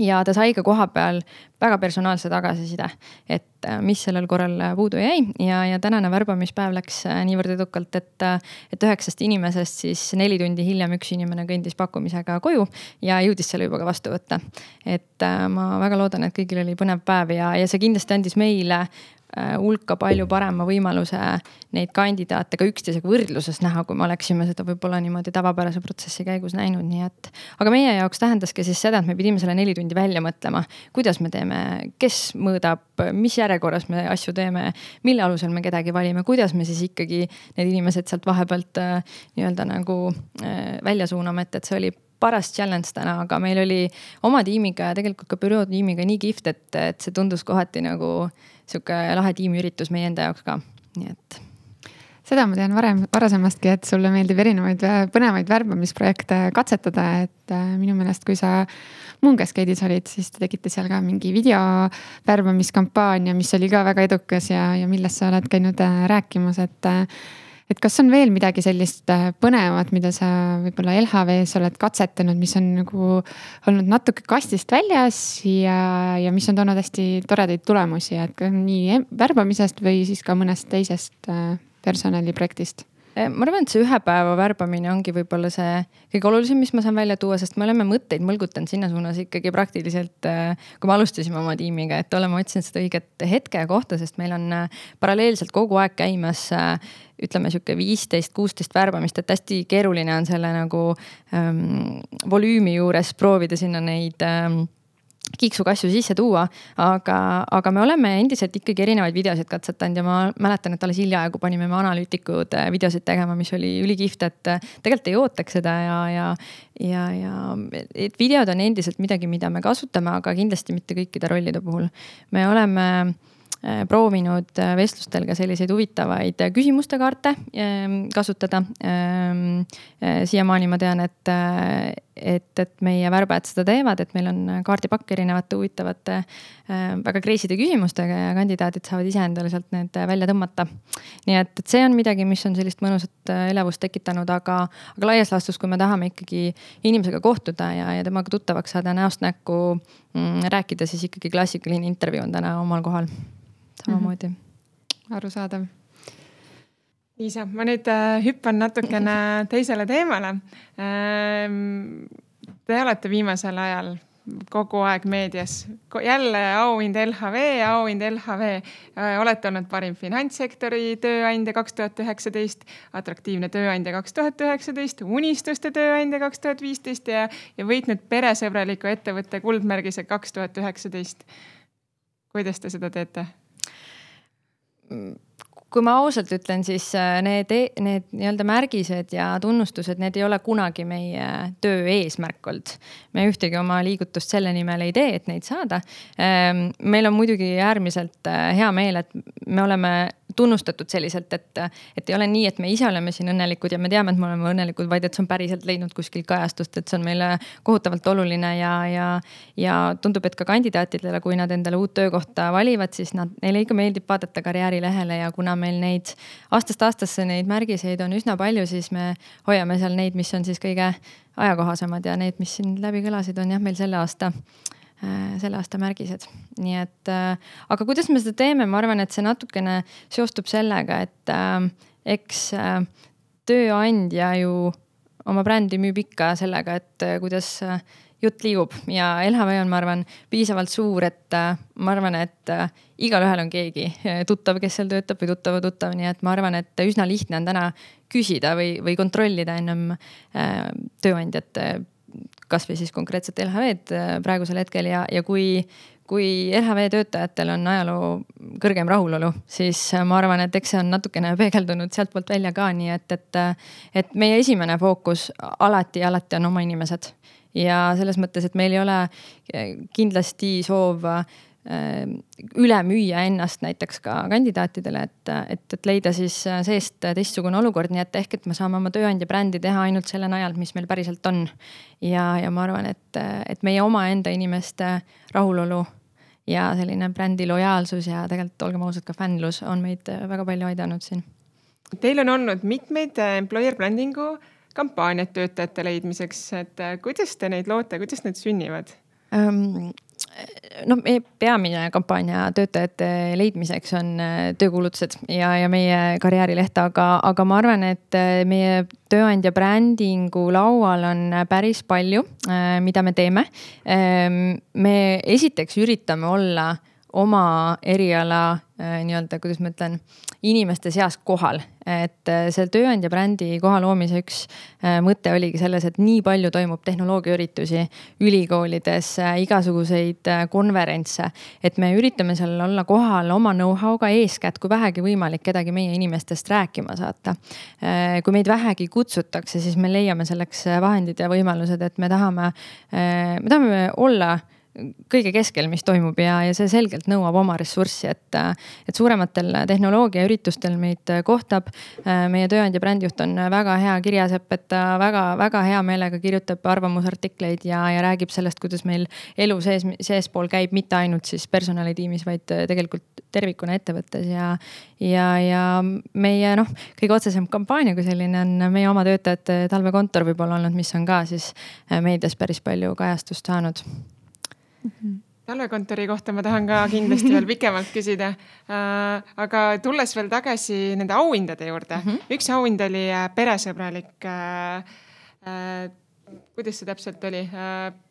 Ja ta sai ka koha peal väga personaalse tagasiside, et mis sellel korral puudu jäi ja tänane värbamispäev läks niivõrd edukalt, et 9 inimesest siis 4 tundi hiljem üks inimene kõndis pakkumisega koju ja jõudis selle juba ka vastu võtta. Et ma väga loodan, et kõigil oli põnev päev ja see kindlasti andis meile hulka palju parema võimaluse neid kandidaate ka üksteisega võrdluses näha, kui me oleksime seda võib-olla niimoodi tavapärase protsessi käigus näinud. Nii et, aga meie jaoks tähendaski siis seda, et me pidime selle 4 tundi välja mõtlema, kuidas me teeme, kes mõõdab, mis järjekorras me asju teeme, mille alusel me kedagi valime, kuidas me siis ikkagi need inimesed sealt vahepealt nii-öelda nagu välja suuname, et see oli paras challenge täna, aga meil oli oma tiimiga ja tegelikult ka büroo tiimiga nii kihvt, et see tundus kohati nagu siuke lahe tiimiüritus meie enda jaoks ka. Nii et seda ma tean varasemastki, et sulle meeldib erinevaid põnevaid värbamisprojekte katsetada, et minu meelest, kui sa Moongascade'is olid, siis te tegite seal ka mingi videovärbamiskampaania, mis oli ka väga edukas ja millest sa oled käinud rääkimas, et kas on veel midagi sellist põnevat, mida sa võib-olla LHV-s oled katsetanud, mis on nagu olnud natuke kastist väljas ja mis on toonud hästi toredaid tulemusi, et nii värbamisest või siis ka mõnest teisest personaliprojektist? Ma arvan, et see 1 päeva värbamine ongi võib-olla see kõige olulisem, mis ma saan välja tuua, sest me oleme mõtteid mõlgutanud sinna suunas ikkagi praktiliselt, kui me alustasime oma tiimiga, et oleme otsinud seda õiget hetke ja kohta, sest meil on paralleelselt kogu aeg käimas ütleme siuke 15-16 värbamist, et hästi keeruline on selle nagu volüümi juures proovida sinna neid kiiksukasju sisse tuua, aga me oleme endiselt ikkagi erinevaid videosid katsetanud ja ma mäletan, et alles hiljaaegu panime me analüütikud videosid tegema, mis oli ülikihvt, et tegelikult ei ootaks seda ja et videod on endiselt midagi, mida me kasutame, aga kindlasti mitte kõikide rollide puhul. Me oleme proovinud vestlustel ka selliseid huvitavaid küsimuste kaarte kasutada. Siiamaani ma tean, et meie värbajad seda teevad, et meil on kaardipakk erinevate huvitavate väga kreiside küsimustega ja kandidaadid saavad ise endale sealt need välja tõmmata. Nii et see on midagi, mis on sellist mõnusat elevust tekitanud, aga laias laastus, kui me tahame ikkagi inimesega kohtuda ja temaga tuttavaks saada näost näkku rääkida, siis ikkagi klassikaline intervjuu on täna omal kohal. Samamoodi. Arusaadav. Liisa, ma nüüd hüppan natukene teisele teemale. Te olete viimasel ajal kogu aeg meedias. Jälle auhind LHV. Olete olnud parim finantssektori tööandja 2019, atraktiivne tööandja 2019, unistuste tööandja 2015 ja võitnud peresõbraliku ettevõtte kuldmärgise 2019. Kuidas te seda teete? Kui ma ausalt ütlen, siis need nii-öelda märgised ja tunnustused, need ei ole kunagi meie töö eesmärk olnud. Me ühtegi oma liigutust selle nimel ei tee, et neid saada. Meil on muidugi äärmiselt hea meel, et me oleme tunnustatud selliselt, et ei ole nii, et me ise oleme siin õnnelikud ja me teame, et me oleme õnnelikud, vaid et see on päriselt leidnud kuskil kajastust, et see on meile kohutavalt oluline ja tundub, et ka kandidaatidele, kui nad endale uut töökohta valivad, siis neile ikka meeldib vaadata karjäärilehele ja kuna meil neid aastast aastasse neid märgiseid on üsna palju, siis me hoiame seal neid, mis on siis kõige ajakohasemad ja need, mis siin läbi kõlasid, on jah, meil selle aasta märgised. Nii et, aga kuidas me seda teeme, ma arvan, et see natukene seostub sellega, et eks tööandja ju oma brändi müüb ikka sellega, et kuidas jutt liigub ja LHV on, ma arvan, piisavalt suur, et ma arvan, et igal ühel on keegi tuttav, kes seal töötab või tuttav, nii et ma arvan, et üsna lihtne on täna küsida või kontrollida ennem tööandjat, kas või siis konkreetselt LHV-d praegusel hetkel ja kui LHV töötajatel on ajaloo kõrgem rahulolu, siis ma arvan, et eks see on natukene peegeldunud sealt poolt välja ka, nii et meie esimene fookus alati on oma inimesed ja selles mõttes, et meil ei ole kindlasti soov üle müüa ennast näiteks ka kandidaatidele, et leida siis seest teistsugune olukord, nii et ehk, et me saame oma tööandja brändi teha ainult selle najalt, mis meil päriselt on. Ja ma arvan, et meie oma enda inimeste rahulolu ja selline brändi lojaalsus ja tegelikult olgem ausad ka fännlus on meid väga palju aidanud siin. Teil on olnud mitmeid employer brandingu kampaaniad töötajate leidmiseks, et kuidas te neid loote, kuidas need sünnivad? No meie peamine kampaania töötajate leidmiseks on töökuulutused ja meie karjäärileht, aga ma arvan, et meie tööandja brändingu laual on päris palju, mida me teeme. Me esiteks üritame olla oma eriala nii-öelda, kuidas ma ütlen, inimeste seas kohal. Et see tööandja brändi koha loomise üks mõte oligi selles, et nii palju toimub tehnoloogiaüritusi ülikoolides, igasuguseid konverentse, et me üritame seal olla kohal oma know-how'ga eeskätt, kui vähegi võimalik kedagi meie inimestest rääkima saata. Kui meid vähegi kutsutakse, siis me leiame selleks vahendid ja võimalused, et me tahame olla kõige keskel, mis toimub ja see selgelt nõuab oma ressurssi, et suurematel tehnoloogiaüritustel meid kohtab. Meie tööandja brändijuht on väga hea kirjasepp, et ta väga hea meelega kirjutab arvamusartikleid ja räägib sellest, kuidas meil elu seespool käib mitte ainult siis personalitiimis, vaid tegelikult tervikuna ettevõttes ja meie kõige otsesem kampaania, kui selline on meie oma töötajate talvekontor võib-olla olnud, mis on ka siis meedias päris palju kajastust saanud. Talvekontori kohta ma tahan ka kindlasti veel pikemalt küsida, aga tulles veel tagasi nende auhindade juurde. Üks auhind oli peresõbralik, kuidas see täpselt oli?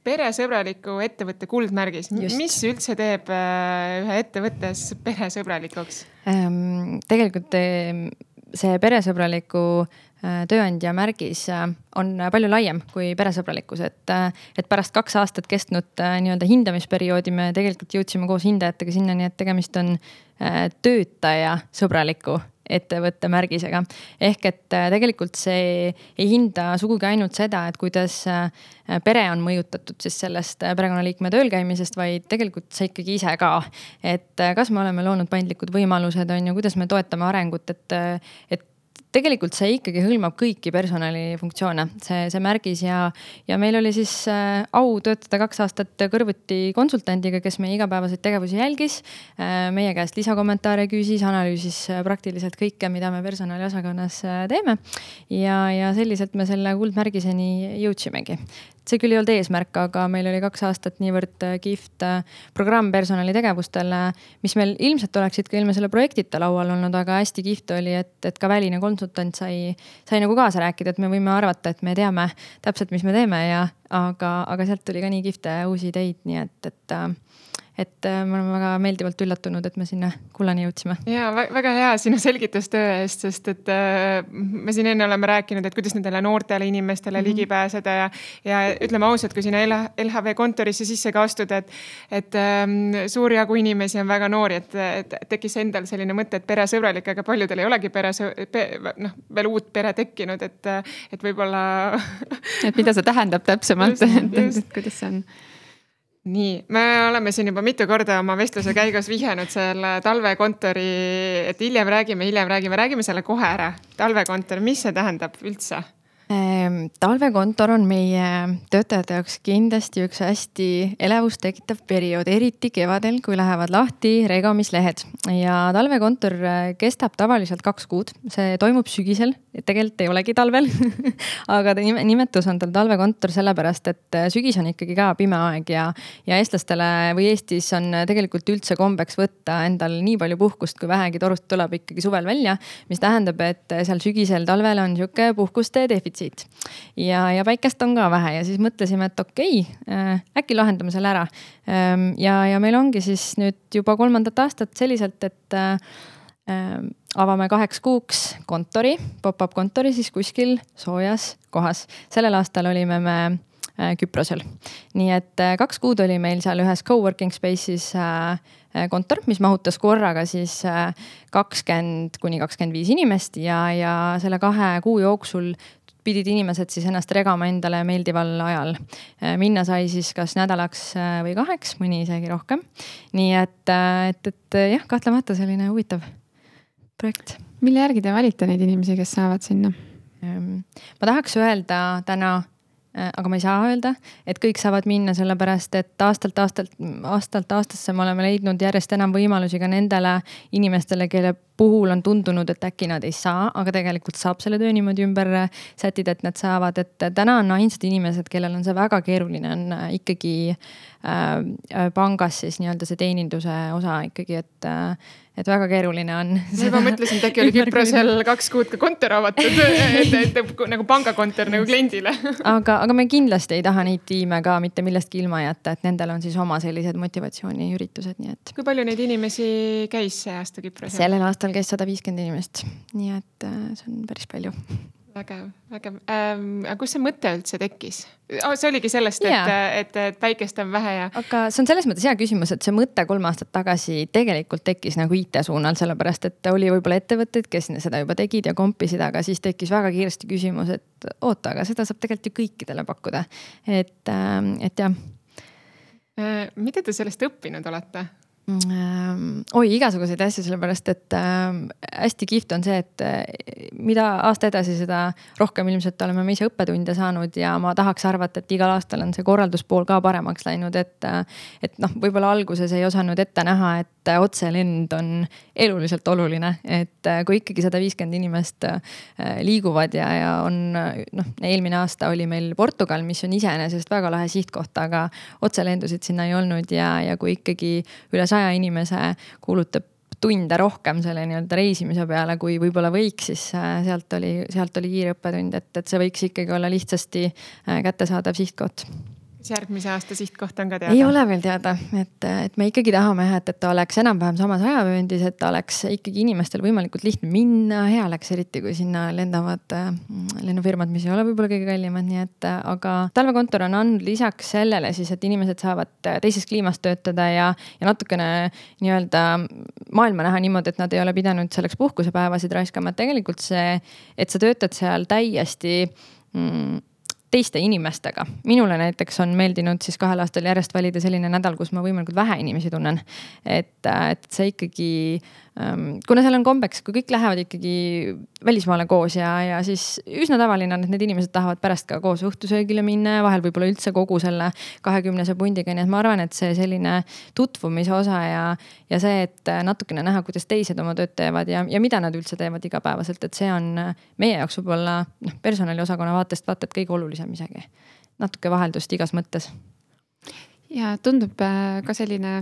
Peresõbraliku ettevõtte kuldmärgis. Just. Mis üldse teeb ühe ettevõttes peresõbralikuks? Tegelikult see peresõbraliku tööandja märgis on palju laiem kui peresõbralikkus, et pärast 2 aastat kestnud nii-öelda hindamisperioodi me tegelikult jõudsime koos hindajatega sinnani, et tegemist on töötaja sõbraliku ettevõtte märgisega. Ehk et tegelikult see ei hinda sugugi ainult seda, et kuidas pere on mõjutatud siis sellest perekonnaliikme tööl käimisest, vaid tegelikult see ikkagi ise ka. Et kas me oleme loonud paindlikud võimalused on ja kuidas me toetame arengut, et tegelikult see ikkagi hõlmab kõiki personalifunktsioone, see märgis ja meil oli siis au töötada 2 aastat kõrvuti konsultandiga, kes meie igapäevaseid tegevusi jälgis, meie käest lisakommentaare küsis, analüüsis praktiliselt kõike, mida me personaliosakonnas teeme ja selliselt me selle kuldmärgiseni jõudsimegi. See küll ei olnud eesmärk, aga meil oli 2 aastat niivõrd kihvt programm personalitegevustele, mis meil ilmselt oleksid ka ilma selle projektita laual olnud, aga hästi kihvt oli, et ka väline konsultant sai nagu kaasa rääkida, et me võime arvata, et me teame täpselt, mis me teeme aga sealt tuli ka nii kihvte uusi ideid, nii et me oleme väga meeldivalt üllatunud, et me sinna kullani jõudsime. Ja väga hea sinu selgitustöö eest, sest et me siin enne oleme rääkinud, et kuidas nendele noortele inimestele ligi pääseda ja ütleme ausalt, kui sinna LHV kontorisse sisse ka astuda, et suur jagu inimesi on väga noori, et tekkis endal selline mõte, et peresõbralik, aga paljudel ei olegi veel uut pere tekkinud, et võib-olla et mida see tähendab täpsemalt, et kuidas see on? Nii, me oleme siin juba mitu korda oma vestluse käigus vihjanud selle talvekontori, et hiljem räägime selle kohe ära. Talvekontor, mis see tähendab üldse? Talvekontor on meie töötajate jaoks kindlasti üks hästi elevust tekitav periood, eriti kevadel, kui lähevad lahti regamislehed. Ja talvekontor kestab tavaliselt 2 kuud. See toimub sügisel, tegelikult ei olegi talvel, aga nimetus on tal talvekontor sellepärast, et sügis on ikkagi ka pime aeg ja eestlastele või Eestis on tegelikult üldse kombeks võtta endal nii palju puhkust, kui vähegi torust tuleb ikkagi suvel välja, mis tähendab, et seal sügisel talvel on siuke puhkuste defitsiit. Ja päikest on ka vähe ja siis mõtlesime, et okei, äkki lahendame selle ära. Ja meil ongi siis nüüd juba 3. aastat selliselt, et avame 2 kuuks kontori, pop-up kontori siis kuskil soojas kohas. Sellel aastal olime me Küprosel. Nii et 2 kuud oli meil seal ühes coworking space'is kontor, mis mahutas korraga siis 20–25 inimest ja selle 2 kuu jooksul pidid inimesed siis ennast regama endale meeldival ajal. Minna sai siis kas nädalaks või 2, mõni isegi rohkem. Nii et jah, kahtlemata selline huvitav projekt. Mille järgi te valite neid inimesi, kes saavad sinna? Ma tahaks öelda täna, aga ma ei saa öelda, et kõik saavad minna sellepärast, et aastalt aastasse me oleme leidnud järjest enam võimalusi ka nendele inimestele, kelle puhul on tundunud, et äkki nad ei saa, aga tegelikult saab selle töö niimoodi ümber sätida, et nad saavad, et täna on ainsad inimesed, kellel on see väga keeruline, on ikkagi pangas siis nii-öelda see teeninduse osa ikkagi, et väga keeruline on. Ma juba mõtlesin, et äkki oli Küprosel 2 kuud ka kontor avatud, et nagu pangakontor nagu kliendile. Aga me kindlasti ei taha neid tiime ka mitte millestki ilma jätta, et nendel on siis oma sellised motivatsiooniüritused, nii et. Kui palju neid inimesi käis see aasta Küprosel? Sellel aastal käis 150 inimest, nii et see on päris palju. Vägev. Aga kus see mõte üldse tekkis? See oligi sellest, et päikest on vähe ja. Aga see on selles mõttes hea küsimus, et see mõte 3 aastat tagasi tegelikult tekkis nagu IT-suunal, sellepärast et oli võib-olla ettevõtteid, kes seda juba tegid ja kompisid, aga siis tekkis väga kiiresti küsimus, et oota, aga seda saab tegelikult ju kõikidele pakkuda. Et jah. Mida te sellest õppinud olete? Igasuguseid asju, sellepärast, et hästi kihvt on see, et mida aasta edasi, seda rohkem ilmselt oleme me ise õppetunde saanud ja ma tahaks arvata, et igal aastal on see korralduspool ka paremaks läinud, et võib-olla alguses ei osanud ette näha, et otselend on eluliselt oluline, et kui ikkagi 150 inimest liiguvad ja on, eelmine aasta oli meil Portugal, mis on iseenesest väga lahe sihtkoht, aga otselendusid sinna ei olnud ja kui ikkagi üle 100 inimese kuulutab tunde rohkem selle nii-öelda reisimise peale, kui võib-olla võiks, siis sealt oli kiire õppetund, et see võiks ikkagi olla lihtsasti kättesaadav sihtkoht. Järgmise aasta sihtkoht on ka teada? Ei ole veel teada, et me ikkagi tahame, et ta oleks enam-vähem samas ajavööndis, et ta oleks ikkagi inimestel võimalikult lihtne minna, hea oleks eriti, kui sinna lendavad lennufirmad, mis ei ole võib-olla kõige kallimad, nii et aga talvekontor on andnud lisaks sellele siis, et inimesed saavad teises kliimas töötada ja natukene nii-öelda maailma näha niimoodi, et nad ei ole pidanud selleks puhkusepäevasid raiskama, et tegelikult see, et sa töötad seal täiesti teiste inimestega. Minule näiteks on meeldinud siis 2 aastal järjest valida selline nädal, kus ma võimalikult vähe inimesi tunnen. Et see ikkagi, kuna seal on kombeks, kui kõik lähevad ikkagi välismaale koos ja siis üsna tavaline on, et need inimesed tahavad pärast ka koos õhtusöögile minna ja vahel võib-olla üldse kogu selle 20 pundiga. Nii et ma arvan, et see selline tutvumise osa ja see, et natukene näha, kuidas teised oma tööd teevad ja mida nad üldse teevad igapäevaselt, et see on meie jaoks võib-olla personaliosakonna vaatest vaata, et kõige olulisem isegi. Natuke vaheldust igas mõttes. Ja tundub ka selline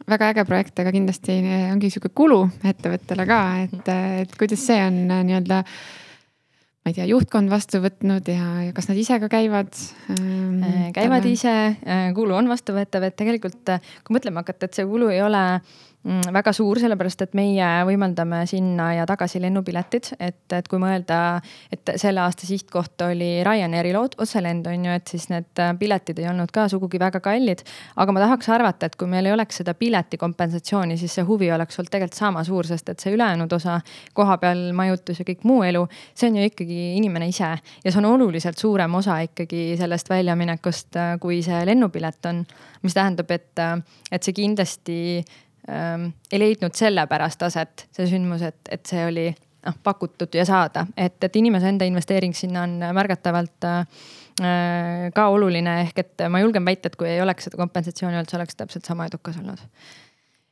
väga äge projekt, aga kindlasti ongi siuke kulu ettevõttele ka, et kuidas see on nii-öelda, ma ei tea, juhtkond vastu võtnud ja kas nad ise ka käivad? Käivad ise, kulu on vastuvõetav, et tegelikult kui mõtlema hakata, et see kulu ei ole väga suur, sellepärast et meie võimaldame sinna ja tagasi lennupiletid, et kui mõelda, et selle aasta sihtkoht oli Ryanairi otselend, on ju, et siis need piletid ei olnud ka sugugi väga kallid, aga ma tahaks arvata, et kui meil ei oleks seda pileti kompensatsiooni, siis see huvi oleks olnud tegelikult sama suur, sest et see ülejäänud osa koha peal majutus ja kõik muu elu, see on ju ikkagi inimene ise ja see on oluliselt suurem osa ikkagi sellest väljaminekust, kui see lennupilet on, mis tähendab, et see kindlasti ei leidnud selle pärast aset, see sündmus, et see oli pakutud ja saada, et inimese enda investeering sinna on märgatavalt ka oluline, ehk et ma julgen väita, et kui ei oleks seda kompensatsiooni olnud, see oleks täpselt sama edukas olnud.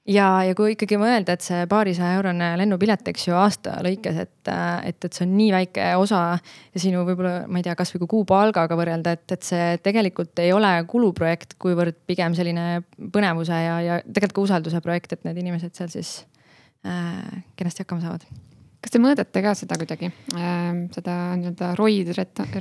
Ja kui ikkagi mõelda, et see paarisaja-eurone lennupilet, eks ju, aasta lõikes, et see on nii väike osa ja sinu võib-olla, ma ei tea, kas või kui kuupalgaga võrrelda, et see tegelikult ei ole kuluprojekt, kuivõrd pigem selline põnevuse ja tegelikult ka usalduse projekt, et need inimesed seal siis kenasti hakkama saavad. Kas te mõõdate ka seda kuidagi, seda nii-öelda ROI,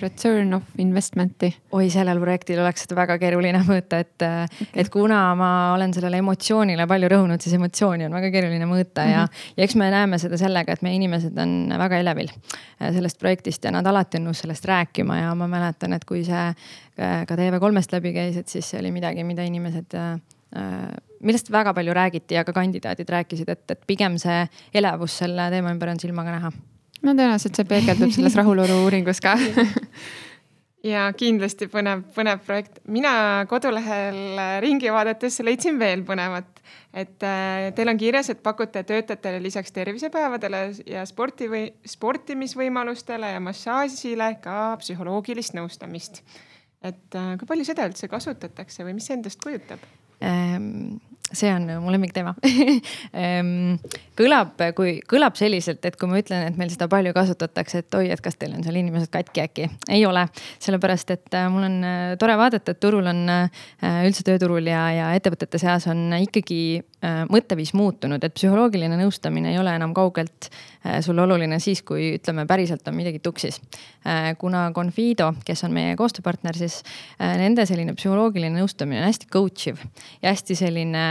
return of investmenti? Oi, sellel projektil oleks seda väga keeruline mõõta, et kuna ma olen sellele emotsioonile palju rõhunud, siis emotsiooni on väga keeruline mõõta ja eks me näeme seda sellega, et meie inimesed on väga elevil sellest projektist ja nad alati on nõus sellest rääkima ja ma mäletan, et kui see ka TV3-st läbi käis, et siis see oli midagi, mida inimesed millest väga palju räägiti ja ka kandidaadid rääkisid, et pigem see elevus selle teema ümber on silmaga näha. No tõenäoliselt see peegeldub selles rahulolu uuringus ka. Ja kindlasti põnev projekt. Mina kodulehel ringi vaadates leidsin veel põnevat, et teil on kirjas, et pakute töötajatele lisaks tervisepäevadele ja sportimisvõimalustele ja massaažile ka psühholoogilist nõustamist. Et kui palju seda üldse kasutatakse või mis see endast kujutab? See on mu lemmikteema. Kõlab selliselt, et kui ma ütlen, et meil seda palju kasutatakse, et oi, et kas teil on seal inimesed katki äkki? Ei ole, sellepärast, et mul on tore vaadata, et turul on üldse tööturul ja ettevõtete seas on ikkagi mõtteviis muutunud, et psühholoogiline nõustamine ei ole enam kaugelt sul oluline siis, kui ütleme päriselt on midagi tuksis. Kuna Confido, kes on meie koostööpartner, siis nende selline psühholoogiline nõustamine on hästi coachiv ja hästi selline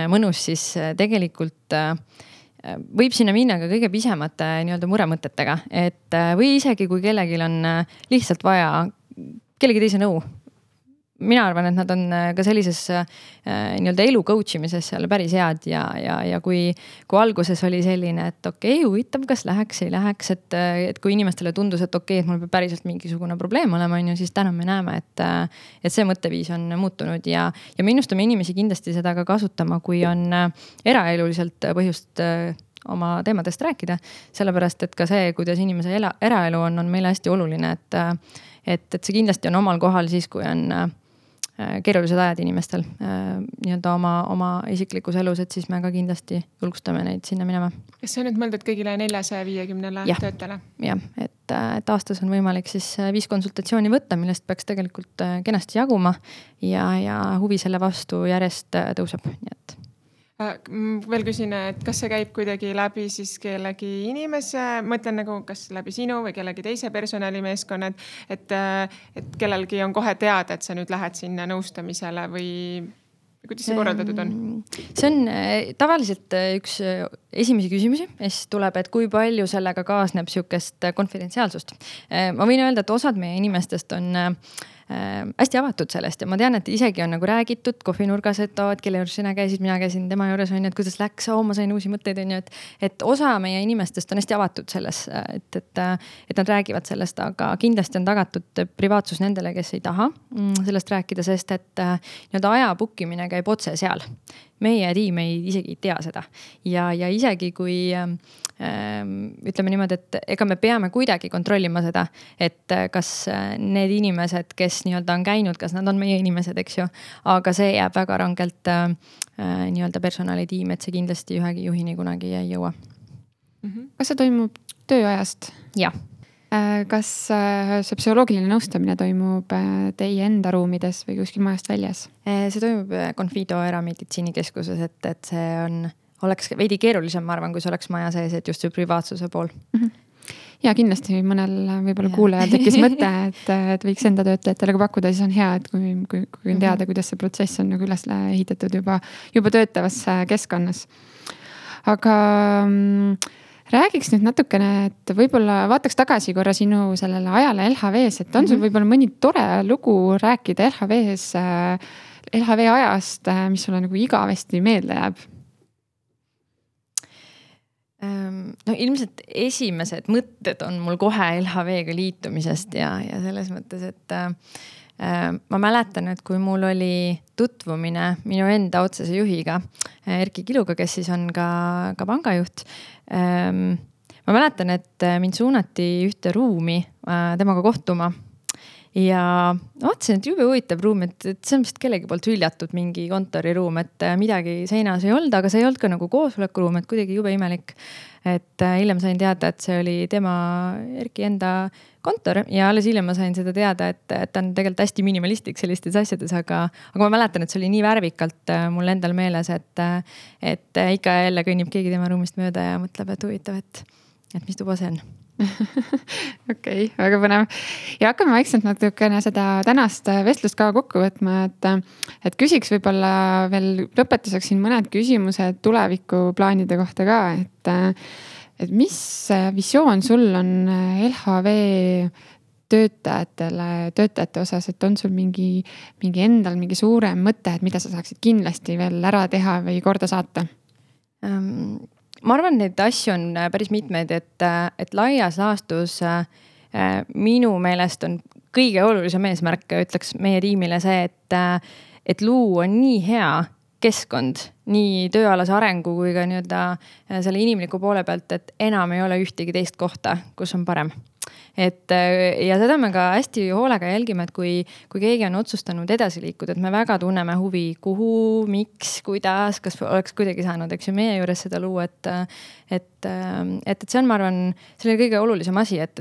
mõnus, siis tegelikult võib sinna minna ka kõige pisemate nii-öelda muremõtetega, et või isegi kui kellelgi on lihtsalt vaja kellegi teise nõu. Mina arvan, et nad on ka sellises nii-öelda elu coach imises seal päris head ja kui alguses oli selline, et okei, huvitav, kas läheks, ei läheks, et kui inimestele tundus, et okei, et mul peab päriselt mingisugune probleem olema, siis täna me näeme, et see mõtteviis on muutunud ja me innustame inimesi kindlasti seda ka kasutama, kui on eraeluliselt põhjust oma teemadest rääkida, sellepärast, et ka see, kuidas inimese eraelu on meile hästi oluline, et see kindlasti on omal kohal siis, kui on keerulised ajad inimestel nii-öelda oma isiklikus elus, et siis me ka kindlasti julgustame neid sinna minema. Kas see on nüüd mõeldud kõigile 450 töötele? Jah, et aastas on võimalik siis 5 konsultatsiooni võtta, millest peaks tegelikult kenasti jaguma ja huvi selle vastu järjest tõuseb, nii et veel küsin, et kas see käib kuidagi läbi siis kellegi inimese, mõtlen nagu kas läbi sinu või kellegi teise personalimeeskonnad, et kellelgi on kohe teada, et sa nüüd lähed sinna nõustamisele või kuidas see korraldatud on? See on tavaliselt üks esimesi küsimusi, siis tuleb, et kui palju sellega kaasneb sihukest konfidentsiaalsust. Ma võin öelda, et osad meie inimestest on hästi avatud sellest ja ma tean, et isegi on nagu räägitud kohvinurgas, et kelle juures sina käisid, mina käisin tema juures, on ju, et kuidas läks, ma sain uusi mõtteid, on ju, et osa meie inimestest on hästi avatud selles, et nad räägivad sellest, aga kindlasti on tagatud privaatsus nendele, kes ei taha sellest rääkida, sest et nii-öelda aja bookimine käib otse seal. Meie tiim isegi ei tea seda ja isegi kui ütleme niimoodi, et ega me peame kuidagi kontrollima seda, et kas need inimesed, kes nii-öelda on käinud, kas nad on meie inimesed, eks ju, aga see jääb väga rangelt nii-öelda personalitiim, et see kindlasti ühegi juhini kunagi ei jõua. Kas see toimub tööajast? Jah. Kas see psühholoogiline nõustamine toimub teie enda ruumides või kuskil majast väljas? See toimub Confido erameditsiinikeskuses, et see oleks veidi keerulisem, ma arvan, kui see oleks maja sees, et just see privaatsuse pool. Ja kindlasti mõnel võib-olla kuulajal tekkis mõte, et võiks enda töötajatele ka pakkuda, siis on hea, et kui on teada, kuidas see protsess on nagu üles ehitatud juba töötavas keskkonnas. Aga räägiks nüüd natukene, et võib-olla vaataks tagasi korra sinu sellele ajale LHV-s, et on sul võib-olla mõni tore lugu rääkida LHV ajast, mis sulle nagu igavesti meelde jääb? No ilmselt esimesed mõtted on mul kohe LHV-ga liitumisest ja selles mõttes, et ma mäletan, et kui mul oli tutvumine minu enda otsese juhiga, Erki Kiluga, kes siis on ka pangajuht. Ma mäletan, et mind suunati ühte ruumi temaga kohtuma ja vaatasin, et jube huvitav ruum, et see on vist kellegi poolt hüljatud mingi kontoriruum, et midagi seinas ei olnud, aga see ei olnud ka nagu koosolekuruum, et kuidagi jube imelik. Et hiljem sain teada, et see oli tema Erki enda kontor ja alles hiljem ma sain seda teada, et ta on tegelikult hästi minimalistlik sellistes asjades, aga ma mäletan, et see oli nii värvikalt mul endal meeles, et ikka jälle kõnnib keegi tema ruumist mööda ja mõtleb, et huvitav, et mis tuba see on. Okei, väga põnev. Ja hakkame vaikselt natukene seda tänast vestlust ka kokku võtma, et küsiks võib-olla veel lõpetuseks siin mõned küsimused tulevikuplaanide kohta ka, et mis visioon sul on LHV töötajate osas, et on sul mingi endal mingi suurem mõte, et mida sa saaksid kindlasti veel ära teha või korda saata? Ma arvan, neid asju on päris mitmeid, et laias laastus minu meelest on kõige olulisem eesmärk, ütleks meie tiimile see, et luua nii hea keskkond, nii tööalase arengu kui ka selle inimliku poole pealt, et enam ei ole ühtegi teist kohta, kus on parem. Ja seda me ka hästi hoolega jälgime, et kui keegi on otsustanud edasi liikuda, et me väga tunneme huvi, kuhu, miks, kuidas, kas oleks kuidagi saanud, eks ju meie juures seda luua, et see on, ma arvan, selle kõige olulisem asi, et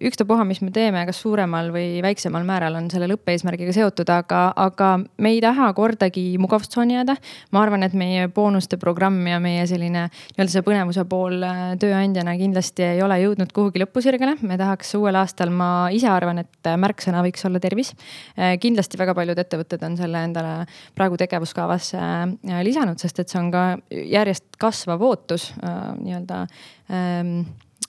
ükstapuha, mis me teeme, kas suuremal või väiksemal määral on selle lõppeesmärgiga seotud, aga me ei taha kordagi mugavustsooni jääda. Ma arvan, et meie boonuste programm ja meie selline see põnevuse pool tööandjana kindlasti ei ole jõudnud kuhugi lõpusirgele. Me tahaks uuel aastal, ma ise arvan, et märksõna võiks olla tervis. Kindlasti väga paljud ettevõtted on selle endale praegu tegevuskavasse lisanud, sest et see on ka järjest kasvav ootus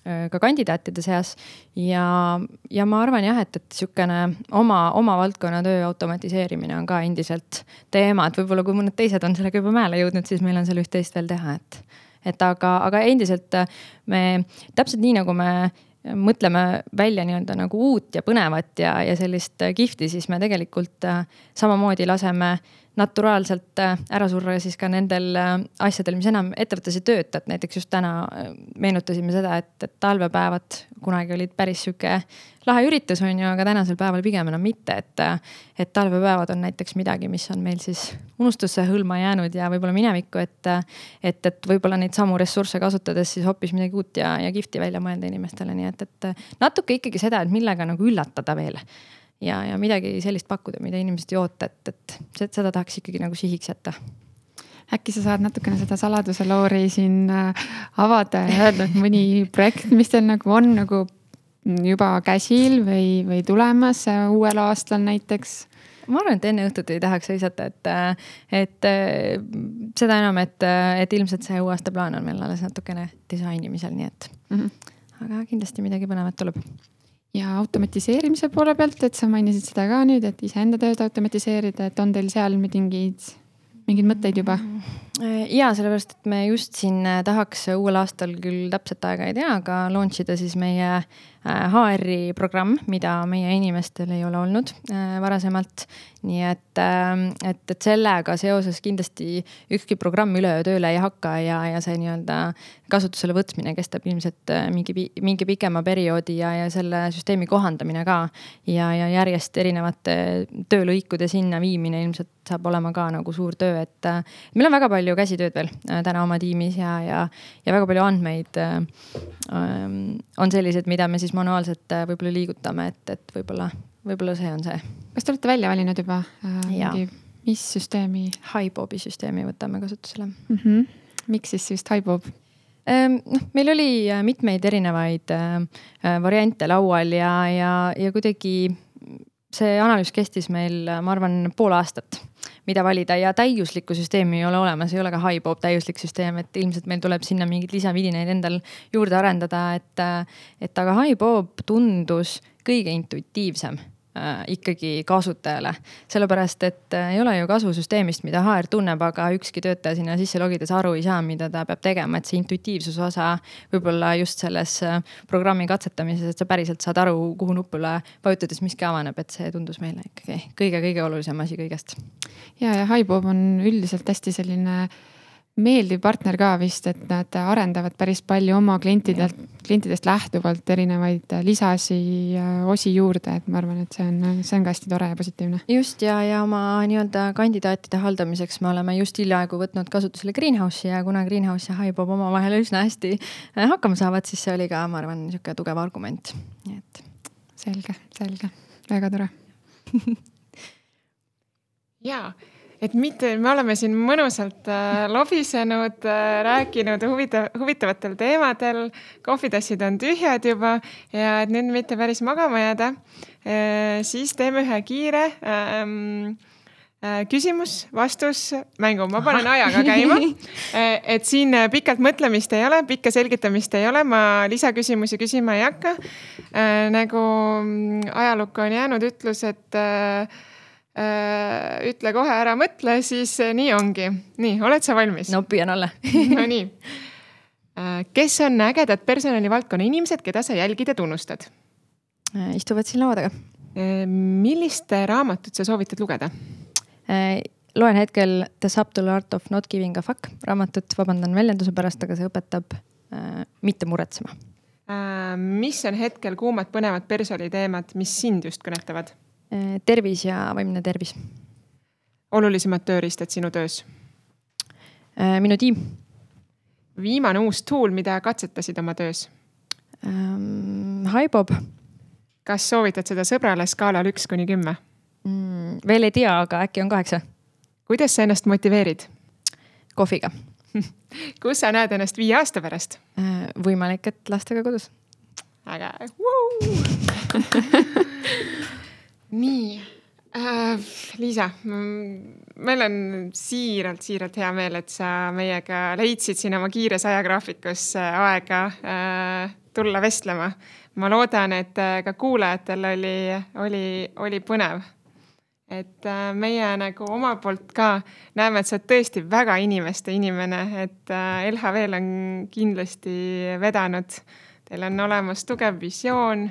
ka kandidaatide seas ja ma arvan jah, et sükene oma valdkonna töö automatiseerimine on ka endiselt teema, et võib-olla kui mõned teised on sellega juba mäele jõudnud, siis meil on seal üht-teist veel teha, aga endiselt me täpselt nii, nagu me mõtleme välja nagu uut ja põnevat ja sellist kihvti, siis me tegelikult samamoodi laseme naturaalselt ära surra siis ka nendel asjadel, mis enam ettevõttes ei tööta. Et näiteks just täna meenutasime seda, et talvepäevad kunagi olid päris süke lahe üritus, aga tänasel päeval pigem enam mitte. Et talvepäevad on näiteks midagi, mis on meil siis unustusse hõlma jäänud ja võib-olla minevikku, et võib-olla neid samu ressursse kasutades siis hoopis midagi uut ja kihvti välja mõelda inimestele. Nii et natuke ikkagi seda, et millega nagu üllatada veel. Ja midagi sellist pakkuda, mida inimesed ei oota, et seda tahaks ikkagi nagu sihiks jätta. Äkki sa saad natukene seda saladuse loori siin avada ja öelda, et mõni projekt, mis teil nagu on nagu juba käsil või tulemas uuel aastal näiteks? Ma arvan, et enne õhtut ei tahaks seisata, et seda enam, et ilmselt see uue aasta plaan on meil alles natukene disainimisel, nii et aga kindlasti midagi põnevat tuleb. Ja automatiseerimise poole pealt, et sa mainisid seda ka nüüd, et iseenda tööd automatiseerida, et on teil seal mingeid mõtteid juba? Ja sellepärast, et me just siin tahaks uuel aastal küll täpselt aega ei tea, aga launchida siis meie HR-i programm, mida meie inimestel ei ole olnud varasemalt. Nii et sellega seoses kindlasti ükski programm üleöö tööle ei hakka ja see kasutusele võtmine kestab ilmselt mingi pikema perioodi ja selle süsteemi kohandamine ka ja järjest erinevate töölõikude sinna viimine ilmselt saab olema ka nagu suur töö, et meil on väga palju palju käsitööd veel täna oma tiimis ja väga palju andmeid on sellised, mida me siis manuaalselt võib-olla liigutame, et võib-olla see on see. Kas te olete välja valinud juba mis süsteemi? HiBobi süsteemi võtame kasutusele. Miks siis just HiBob? Meil oli mitmeid erinevaid variante laual ja kuidagi see analüüs kestis meil, ma arvan, pool aastat, mida valida ja täiuslikku süsteemi ei ole olemas, ei ole ka HiBob täiuslik süsteem, et ilmselt meil tuleb sinna mingid lisavidinaid endal juurde arendada, et aga HiBob tundus kõige intuitiivsem ikkagi kasutajale. Sellepärast, et ei ole ju kasu süsteemist, mida HR tunneb, aga ükski töötaja sinna sisse logides aru ei saa, mida ta peab tegema, et see intuitiivsus osa võib-olla just selles programmi katsetamises, et sa päriselt saad aru, kuhu nupule vajutades miski avaneb, et see tundus meile ikkagi kõige olulisem asi kõigest. Ja HiBob on üldiselt hästi selline meeldiv partner ka vist, et nad arendavad päris palju oma klientidest lähtuvalt erinevaid lisasi osi juurde, et ma arvan, et see on ka hästi tore ja positiivne. Just ja oma nii-öelda kandidaatide haldamiseks me oleme just hiljaaegu võtnud kasutusele Greenhouse'i ja kuna Greenhouse ja HiBob oma vahel üsna hästi hakkama saavad, siis see oli ka, ma arvan, niisugune tugev argument. Nii et. Selge. Väga tore. Jaa. Et mitte, me oleme siin mõnusalt lobisenud, rääkinud huvitavatel teemadel, kohvitassid on tühjad juba ja et nüüd mitte päris magama jääda, siis teeme ühe kiire küsimus-vastus mängu. Ma panen ajaga käima, et siin pikalt mõtlemist ei ole, pikka selgitamist ei ole, ma lisaküsimusi küsima ei hakka. Nagu ajalukku on jäänud ütlus, et ütle kohe ära mõtle, siis nii ongi. Nii, oled sa valmis? No püüan olla. No nii. Kes on ägedad personalivaldkonna inimesed, keda sa jälgid ja tunnustad? Istuvad siin laua taga. Millist raamatut sa soovitad lugeda? Loen hetkel The Subtle Art of Not Giving a Fuck raamatut, vabandan väljenduse pärast, aga see õpetab mitte muretsema. Mis on hetkel kuumad põnevad personaliteemad, mis sind just kõnetavad? Tervis ja vaimne tervis. Olulisemad tööriistad sinu töös? Minu tiim. Viimane uus tool, mida katsetasid oma töös? HiBob. Kas soovitad seda sõbrale skaalal 1–10? Veel ei tea, aga äkki on 8. Kuidas sa ennast motiveerid? Kohviga. Kus sa näed ennast 5 aasta pärast? Võimalik, et lastega kodus. Äge. Nii, Liisa, meil on siiralt hea meel, et sa meiega leidsid siin oma kiires ajagraafikus aega tulla vestlema. Ma loodan, et ka kuulajatel oli põnev. Et meie nagu oma poolt ka näeme, et sa oled tõesti väga inimeste inimene, et LHV-l on kindlasti vedanud. Teil on olemas tugev visioon,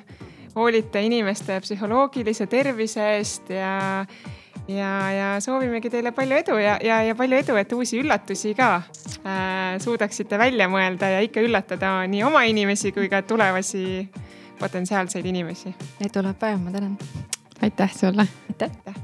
hoolite inimeste psühholoogilise tervise eest ja soovimegi teile palju edu ja palju edu, et uusi üllatusi ka suudaksite välja mõelda ja ikka üllatada nii oma inimesi kui ka tulevasi potentsiaalseid inimesi. Neid tuleb päev, ma tänan. Aitäh sulle. Aitäh.